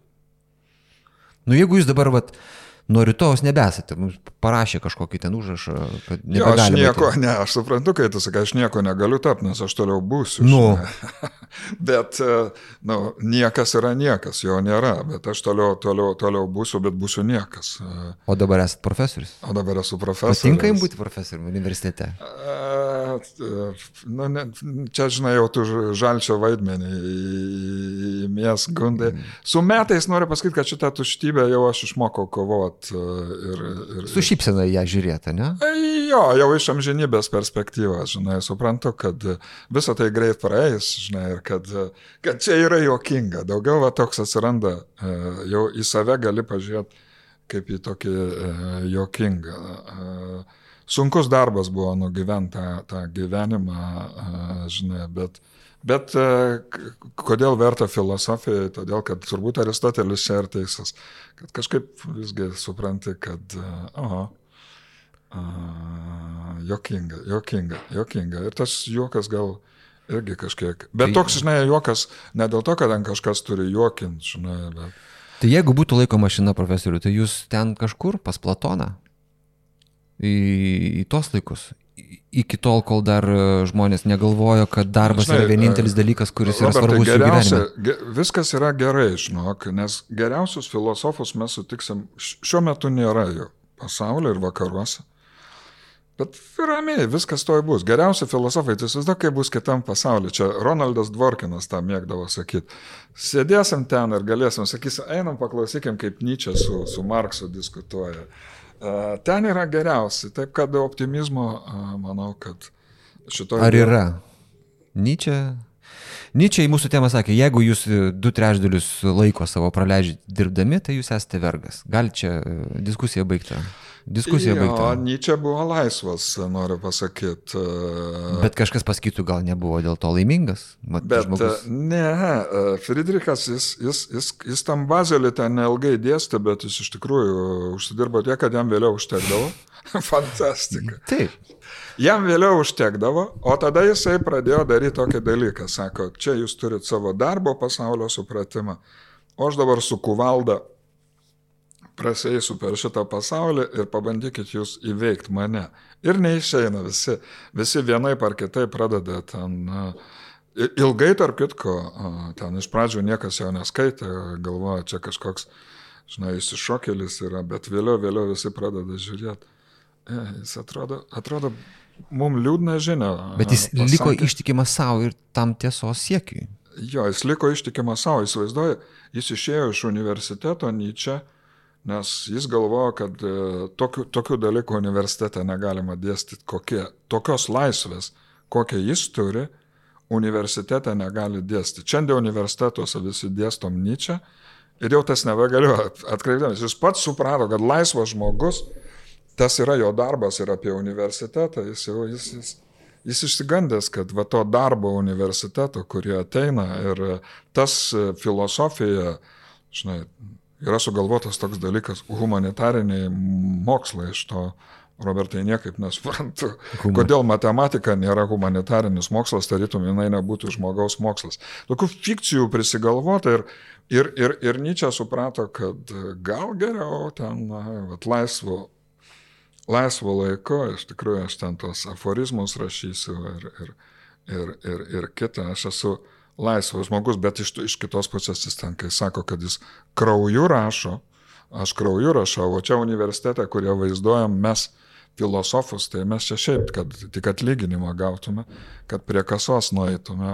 Jeigu jūs dabar nuo rytojus nebesate, mums parašė kažkokį ten užrašą, kad nebegalime. Aš suprantu, kai tu sakai, aš nieko negaliu tapti, nes aš toliau būsiu. Bet niekas yra niekas, jo nėra, bet aš toliau būsiu, bet būsiu niekas. O dabar esate profesorius? O dabar esu profesorius. Patinka jums būti profesoriumi universitete? Čia, žinai, jau tu žalčio vaidmenį įmies gundai. Su metais noriu pasakyti, kad šitą tuštybę jau aš išmokau kovoti. Su šypsena ją žiūrėti, ne? Jo, jau iš amžinybės perspektyvos, žinai, suprantu, kad visą tai greit praeis, žinai, ir kad čia yra juokinga. Daugiau toks atsiranda, jau į save gali pažiūrėti kaip į tokį juokingą. Sunkus darbas buvo nugyventi tą gyvenimą, žinai, bet kodėl verta filosofijai, todėl, kad turbūt Aristotelis čia ir teisas, kad kažkaip visgi supranti, kad juokinga. Ir tas juokas gal irgi kažkiek. Bet toks, žinai, juokas ne dėl to, kad ten kažkas turi juokinti, žinai, bet... Tai jeigu būtų laiko mašina, profesorių, tai jūs ten kažkur pas Platoną? Į tos laikus? Iki tol, kol dar žmonės negalvojo, kad darbas yra vienintelis dalykas, kuris yra svarbus jų gyvenime. Viskas yra gerai, žinok, nes geriausius filosofus mes sutiksim, šiuo metu nėra jų pasaulyje ir vakaruose. Bet ramiai, viskas toj bus. Geriausi filosofai, tai įsivaizduok, kaip bus kitam pasaulyje. Čia Ronaldas Dvorkinas tą mėgdavo sakyti. Sėdėsim ten ir galėsim, sakysim, einam paklausykim, kaip Nyčė su Marksu diskutuoja. Ten yra geriausi. Taip, kad optimizmo, manau, kad šitoj... Ar yra? Nyčė į mūsų temą sakė, jeigu jūs 2/3 laiko savo praleidžiate dirbdami, tai jūs esate vergas. Gal čia diskusija baigta? Nyčė buvo laisvas, noriu pasakyti. Bet kažkas pasakytų, gal nebuvo dėl to laimingas? Friedrichas, jis tam Bazelį ten neilgai dėstė, bet jis iš tikrųjų užsidirbo tiek, kad jam vėliau užtekdavo. Fantastika. Taip. Jam vėliau užtekdavo, o tada jisai pradėjo daryti tokį dalyką. Sako, čia jūs turit savo darbo pasaulio supratimą, o aš dabar su kuvalda prasėsiu per šitą pasaulį ir pabandykit jūs įveikti mane. Ir neišeina visi vienaip ar kitaip pradeda ten, ilgai tarp kitko, ten iš pradžių niekas jo neskaitė, galvoja, čia kažkoks, žinai, išsišokėlis yra, bet vėliau visi pradeda žiūrėti. Jis atrodo mums liūdna žinia. Bet jis liko ištikimas savo ir tam tiesos siekiui. Jo, jis liko ištikimas savo, įsivaizduoja, jis išėjo iš universiteto Nyčė, nes jis galvojo, kad tokių dalykų universitete negalima dėstyti, tokios laisvės, kokią jis turi, universitete negali dėstyti. Šiandien universitetuose visi dėstom Nyčę ir jau tas nebegaliu atkreipdamas. Jis pats suprato, kad laisvas žmogus, tas yra jo darbas ir apie universitetą, jis išsigandęs, kad va to darbo universiteto, kurie ateina ir tas filosofija, žinai, yra sugalvotas toks dalykas, humanitariniai mokslai iš to, Robertai, niekaip nesuprantu, kodėl matematika nėra humanitarinis mokslas, tarytum jinai nebūtų žmogaus mokslas. Tokių fikcijų prisigalvota ir Nyčė suprato, kad gal geriau ten laisvo laiko, iš tikrųjų aš ten tos aforizmus rašysiu ir kitą, aš esu laisvas žmogus, bet iš kitos pusės jis ten, kai sako, kad jis krauju rašo, aš krauju rašau, o čia universitete, kurie vaizduojam mes filosofus, tai mes čia šiaip, kad tik atlyginimą gautume, kad prie kasos nueitume.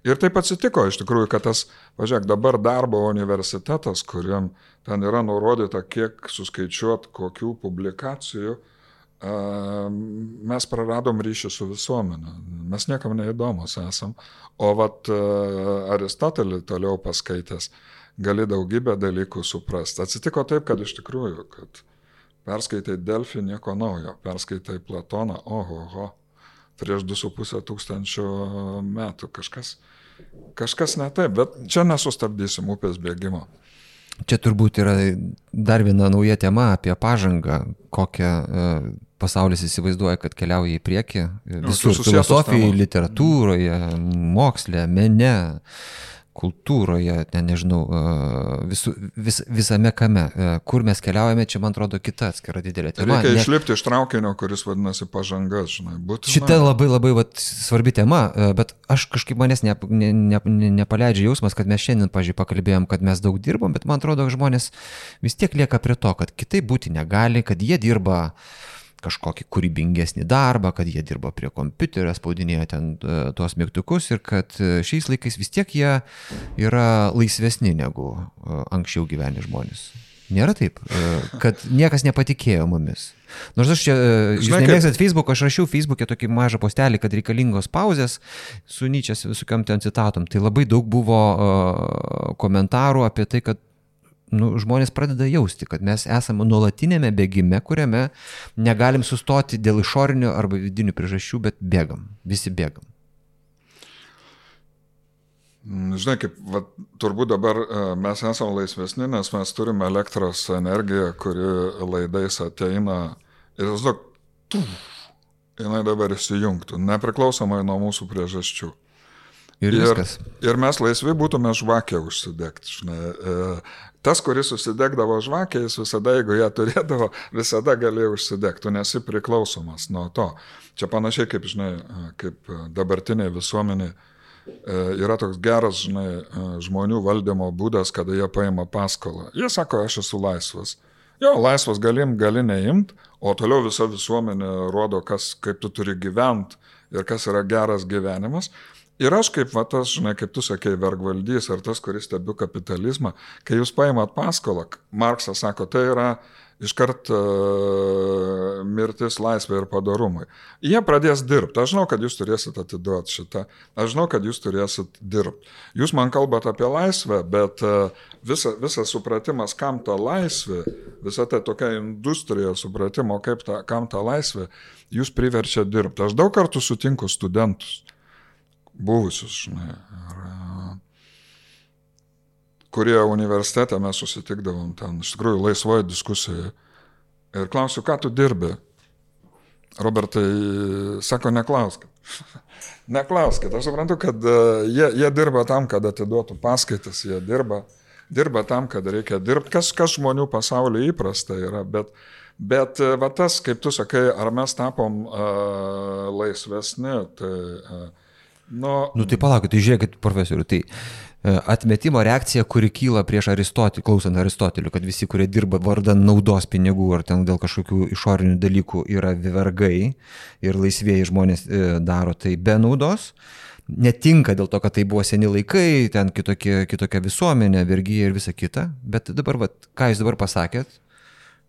Ir taip atsitiko iš tikrųjų, kad tas, važiuok, dabar darbo universitetas, kuriam ten yra nurodyta, kiek suskaičiuot kokių publikacijų, mes praradom ryšį su visuomenė. Mes niekam neįdomus esam. O vat Aristotelį toliau paskaitęs gali daugybę dalykų suprasti. Atsitiko taip, kad iš tikrųjų, kad perskaitai Delfį nieko naujo, perskaitai Platoną, oho, prieš 2,5 tūkstančio metų kažkas ne taip, bet čia nesustabdysim upės bėgimo. Čia turbūt yra dar viena nauja tema apie pažangą, kokią pasaulis įsivaizduoja, kad keliauja į priekį. Visur filosofijoje, literatūroje, moksle, mene, kultūroje, nežinau, visame kame. Kur mes keliaujame, čia, man atrodo, kita atskira didelė tema. Reikia išlipti iš traukinio, kuris vadinasi pažanga, žinai. Šita labai svarbi tema, bet aš kažkaip manęs nepaleidžia jausmas, kad mes šiandien, pažiūrėjau, pakalbėjom, kad mes daug dirbom, bet man atrodo, žmonės vis tiek lieka prie to, kad kitaip būti negali, kad jie dirba kažkokį kūrybingesnį darbą, kad jie dirba prie kompiuterio, spaudinėja ten tuos mygtukus ir kad šiais laikais vis tiek jie yra laisvesni negu anksčiau gyveni žmonės. Nėra taip, kad niekas nepatikėjo mumis. Nors aš čia, jūs nemėgstat Facebook, aš rašiau Facebook'e tokį mažą postelį, kad reikalingos pauzės su Nyčės visokiam ten citatom. Tai labai daug buvo komentarų apie tai, kad žmonės pradeda jausti, kad mes esame nuolatinėme bėgime, kuriame negalim sustoti dėl išorinių arba vidinių priežasčių, bet bėgam, visi bėgam. Žinai, kaip turbūt dabar mes esame laisvesni, nes mes turime elektros energiją, kuri laidais ateina ir jinai dabar įsijungtų, nepriklausomai nuo mūsų priežasčių. Ir mes laisvi būtume žvakę užsidegti. Tas, kuris užsidegdavo žvakę, jis visada, jeigu ją turėdavo, visada galėjo užsidegti, tu nesi priklausomas nuo to. Čia panašiai kaip, kaip dabartiniai visuomeniai yra toks geras, žmonių valdymo būdas, kada jie paima paskolą. Jie sako, aš esu laisvas. Jo, laisvas gali neimt, o toliau visa visuomenė rodo, kaip tu turi gyventi ir kas yra geras gyvenimas. Ir aš kaip tas, kaip tu sakei, vergvaldys ar tas, kuris stebiu kapitalizmą, kai jūs paimat paskolą, Marksas sako, tai yra iškart mirtis, laisvė ir padorumai. Jie pradės dirbti. Aš žinau, kad jūs turėsit atiduoti šitą. Aš žinau, kad jūs turėsit dirbti. Jūs man kalbat apie laisvę, bet visas supratimas, kam ta laisvė, visa ta tokia industrija supratimo, kam ta laisvė, jūs priverčia dirbti. Aš daug kartų sutinku studentus. Buvusius, kurie universitete mes susitikdavom ten, iš tikrųjų, laisvoje diskusijoje. Ir klausiu, ką tu dirbi? Robertai sako, neklauskit. Neklauskit. Aš suprantu, kad jie dirba tam, kad atiduotų paskaitas, jie dirba tam, kad reikia dirbti. Kas žmonių pasaulyje įprasta yra, bet va tas, kaip tu sakai, ar mes tapom laisvesni, tai... Tai palaukit, tai žiūrėkit, profesorių, tai atmetimo reakcija, kuri kyla prieš Aristotelį, klausant Aristotelių, kad visi, kurie dirba vardan naudos pinigų ar ten dėl kažkokių išorinių dalykų yra vergai ir laisvieji žmonės daro tai be naudos, netinka dėl to, kad tai buvo seni laikai, ten kitokia visuomenė, vergyja ir visa kita, bet dabar, ką jūs dabar pasakėt,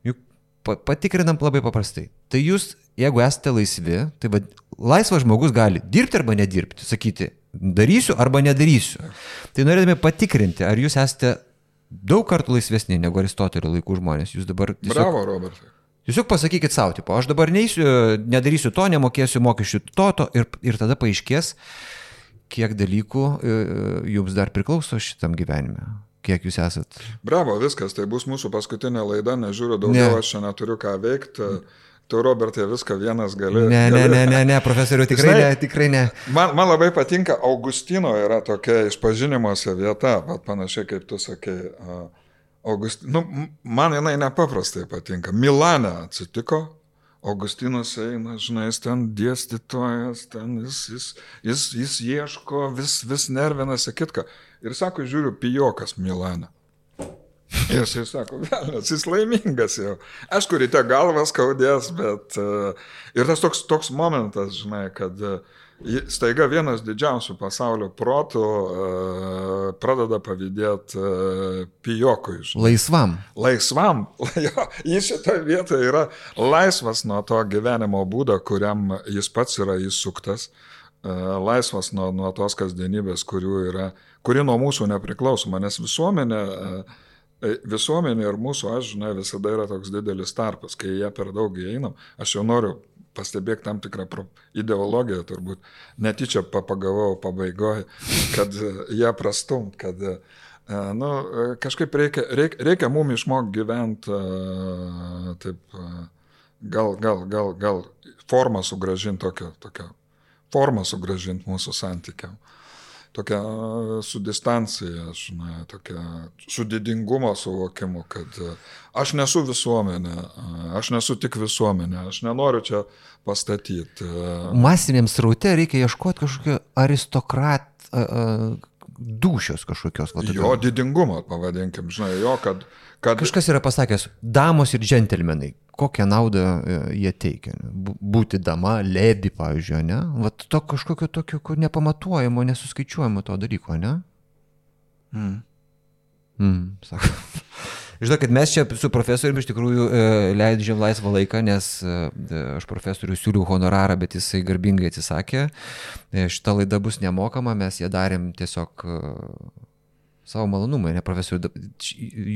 juk patikrinam labai paprastai. Tai jūs, jeigu esate laisvi, tai laisvas žmogus gali dirbti arba nedirbti, sakyti, darysiu arba nedarysiu. Tai norėdami patikrinti, ar jūs esate daug kartų laisvesni negu Aristotelio laikų žmonės. Jūs dabar tiesiog... Bravo, Robertai. Tiesiog pasakykit savo, tipo, aš dabar nedarysiu to, nemokėsiu mokesčių to ir tada paaiškės, kiek dalykų jums dar priklauso šitam gyvenime. Kiek jūs esat? Bravo, viskas, tai bus mūsų paskutinė laida, nežiūriu daugiau, aš čia neturiu ką veikti. Tu, Robertai, viską vienas gali. Ne, profesoriu, tikrai ne. Man labai patinka, Augustino yra tokia išpažinimuose vieta, panašiai kaip tu sakei. Man jinai nepaprastai patinka. Milane atsitiko, Augustinas eina, žinai, jis ten dėstytojas, ten jis ieško, vis nervinasi kitką. Ir sako, žiūriu, pijokas Milane. Ir jis sako, velnias, jis laimingas jau. Aišku, ryte galvas skaudės, bet ir tas toks momentas, žinai, kad staiga vienas didžiausių pasaulio protų pradeda pavydėti pijokui. Žinai. Laisvam. Jis šitoje vietoje yra laisvas nuo to gyvenimo būdo, kuriam jis pats yra įsuktas. Laisvas nuo tos kasdienybės, kuri nuo mūsų nepriklausoma, nes visuomenė ir mūsų aš, žinai, visada yra toks didelis tarpas, kai jie per daug įeinam. Aš jau noriu pastebėti tam tikrą ideologiją, turbūt netyčia pagavau pabaigoje, kad jie prastumt, kad kažkaip reikia mum išmokti gyventi taip, gal formą sugrąžinti tokią formą sugrąžinti mūsų santykiam. Tokia su distancija, žinai, tokia su didingumo suvokimu, kad aš nesu visuomenė, aš nesu tik visuomenė, aš nenoriu čia pastatyti. Masiniam sraute reikia ieškoti kažkokio dūšios kažkokios. Jo didingumo, pavadinkim, žinai, jo, kad... Kažkas yra pasakęs, damos ir džentelmenai, kokią naudą jie teikia. Būti dama, lebi, pavyzdžiui, ne? Vat to kažkokio tokio nepamatuojamo, nesuskaičiuojamo to dalyko, ne? Sako. Žinau, kad mes čia su profesoriumi iš tikrųjų leidžiam laisvą laiką, nes aš profesoriui siūliau honorarą, bet jisai garbingai atsisakė. Šita laida bus nemokama, mes ją darėm tiesiog savo malonumai, ne profesoriui.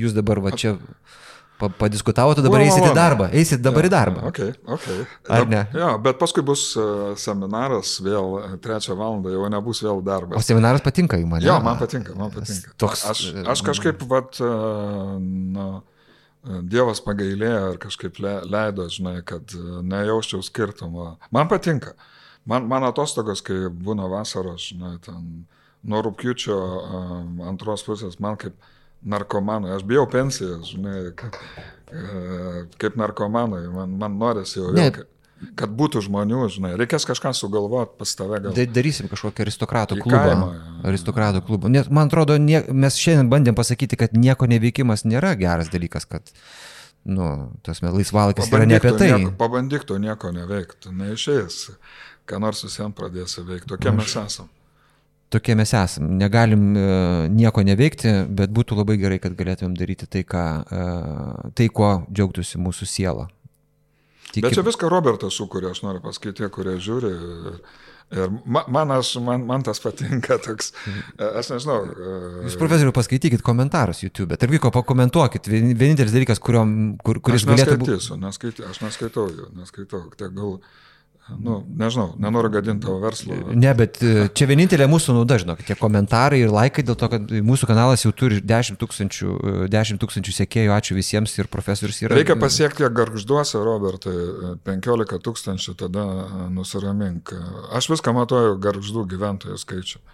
Jūs dabar va čia padiskutavote, dabar eisit į darbą. Eisit dabar į darbą. Okay. Ar ne? Jo, bet paskui bus seminaras vėl 3 valandą, jau nebus vėl darbas. O seminaras patinka jums, ne? Jo, man patinka. Toks, aš kažkaip, Dievas pagailėjo ir kažkaip leido, žinai, kad nejausčiau skirtumo. Man patinka. Man atostogos, kai būna vasaros, žinai, ten nuo rugpjūčio 2 pusės, man kaip narkomanui, aš bijau pensijos, žinai, kaip narkomanui, man norisi jau vėl, kad būtų žmonių, žinai, reikės kažką sugalvoti pas tave gal. Darysim kažkokį aristokratų klubą. Man atrodo, mes šiandien bandėm pasakyti, kad nieko neveikimas nėra geras dalykas, kad, laisvalakis yra ne apie tai. Pabandyk to nieko neveikti, neišėjęs, ką nors visiems pradėsi veikti, tokie mes esam. Tokie mes esam. Negalim nieko neveikti, bet būtų labai gerai, kad galėtumėm daryti tai, kuo džiaugtųsi mūsų siela. Bet čia viską Robertas sukuria, aš noriu pasakyti, kurie žiūri. Ir man tas patinka toks, aš nežinau. Jūs, profesoriu, paskaitykit komentarus YouTube, tarp vyko pakomentuokit. Vienintelis dalykas, kuris galėtų būti. Aš neskaitau jų, tai gal... nežinau, nenoriu gadinti tavo verslo. Ne, bet čia vienintelė mūsų nauda, žinok, tie komentarai ir laikai, dėl to, kad mūsų kanalas jau turi 10 tūkstančių sekėjų, ačiū visiems ir profesorius yra. Reikia pasiekti Gargžduose, Robertai, 15 000, tada nusiramink. Aš viską matuoju Gargždų gyventojų skaičių.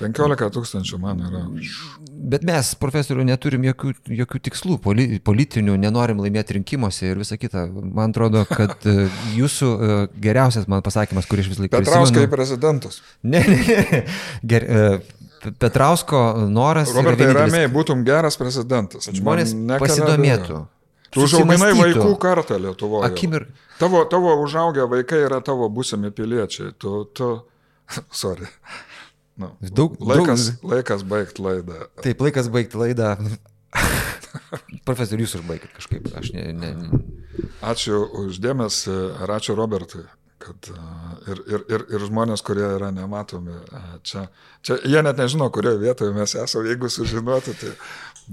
15 000 man yra. Bet mes, profesorių, neturim jokių tikslų politinių, nenorim laimėti rinkimuose ir visą kitą. Man atrodo, kad jūsų geriausias man pasakymas, kurį aš vis laiką prisimenu. Petrauskai prezidentas. Ne. Petrausko noras... Robertai, ramiai, būtum geras prezidentas. Žmonės pasidomėtų. Tu užauginai vaikų kartą Lietuvoje. Tavo užaugę vaikai yra tavo būsimi piliečiai. Sorry. Laikas baigti laidą. Taip, laikas baigti laidą. Profesorius, jūs užbaigit kažkaip. Ačiū uždėmesį ir ačiū Robertui. Kad, ir žmonės, kurie yra nematomi. Čia jie net nežino, kurioje vietoje mes esame. Jeigu sužinotų, tai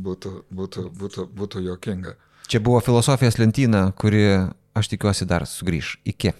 būtų juokinga. Čia buvo filosofijos lentyna, kuri, aš tikiuosi, dar sugrįš. Iki.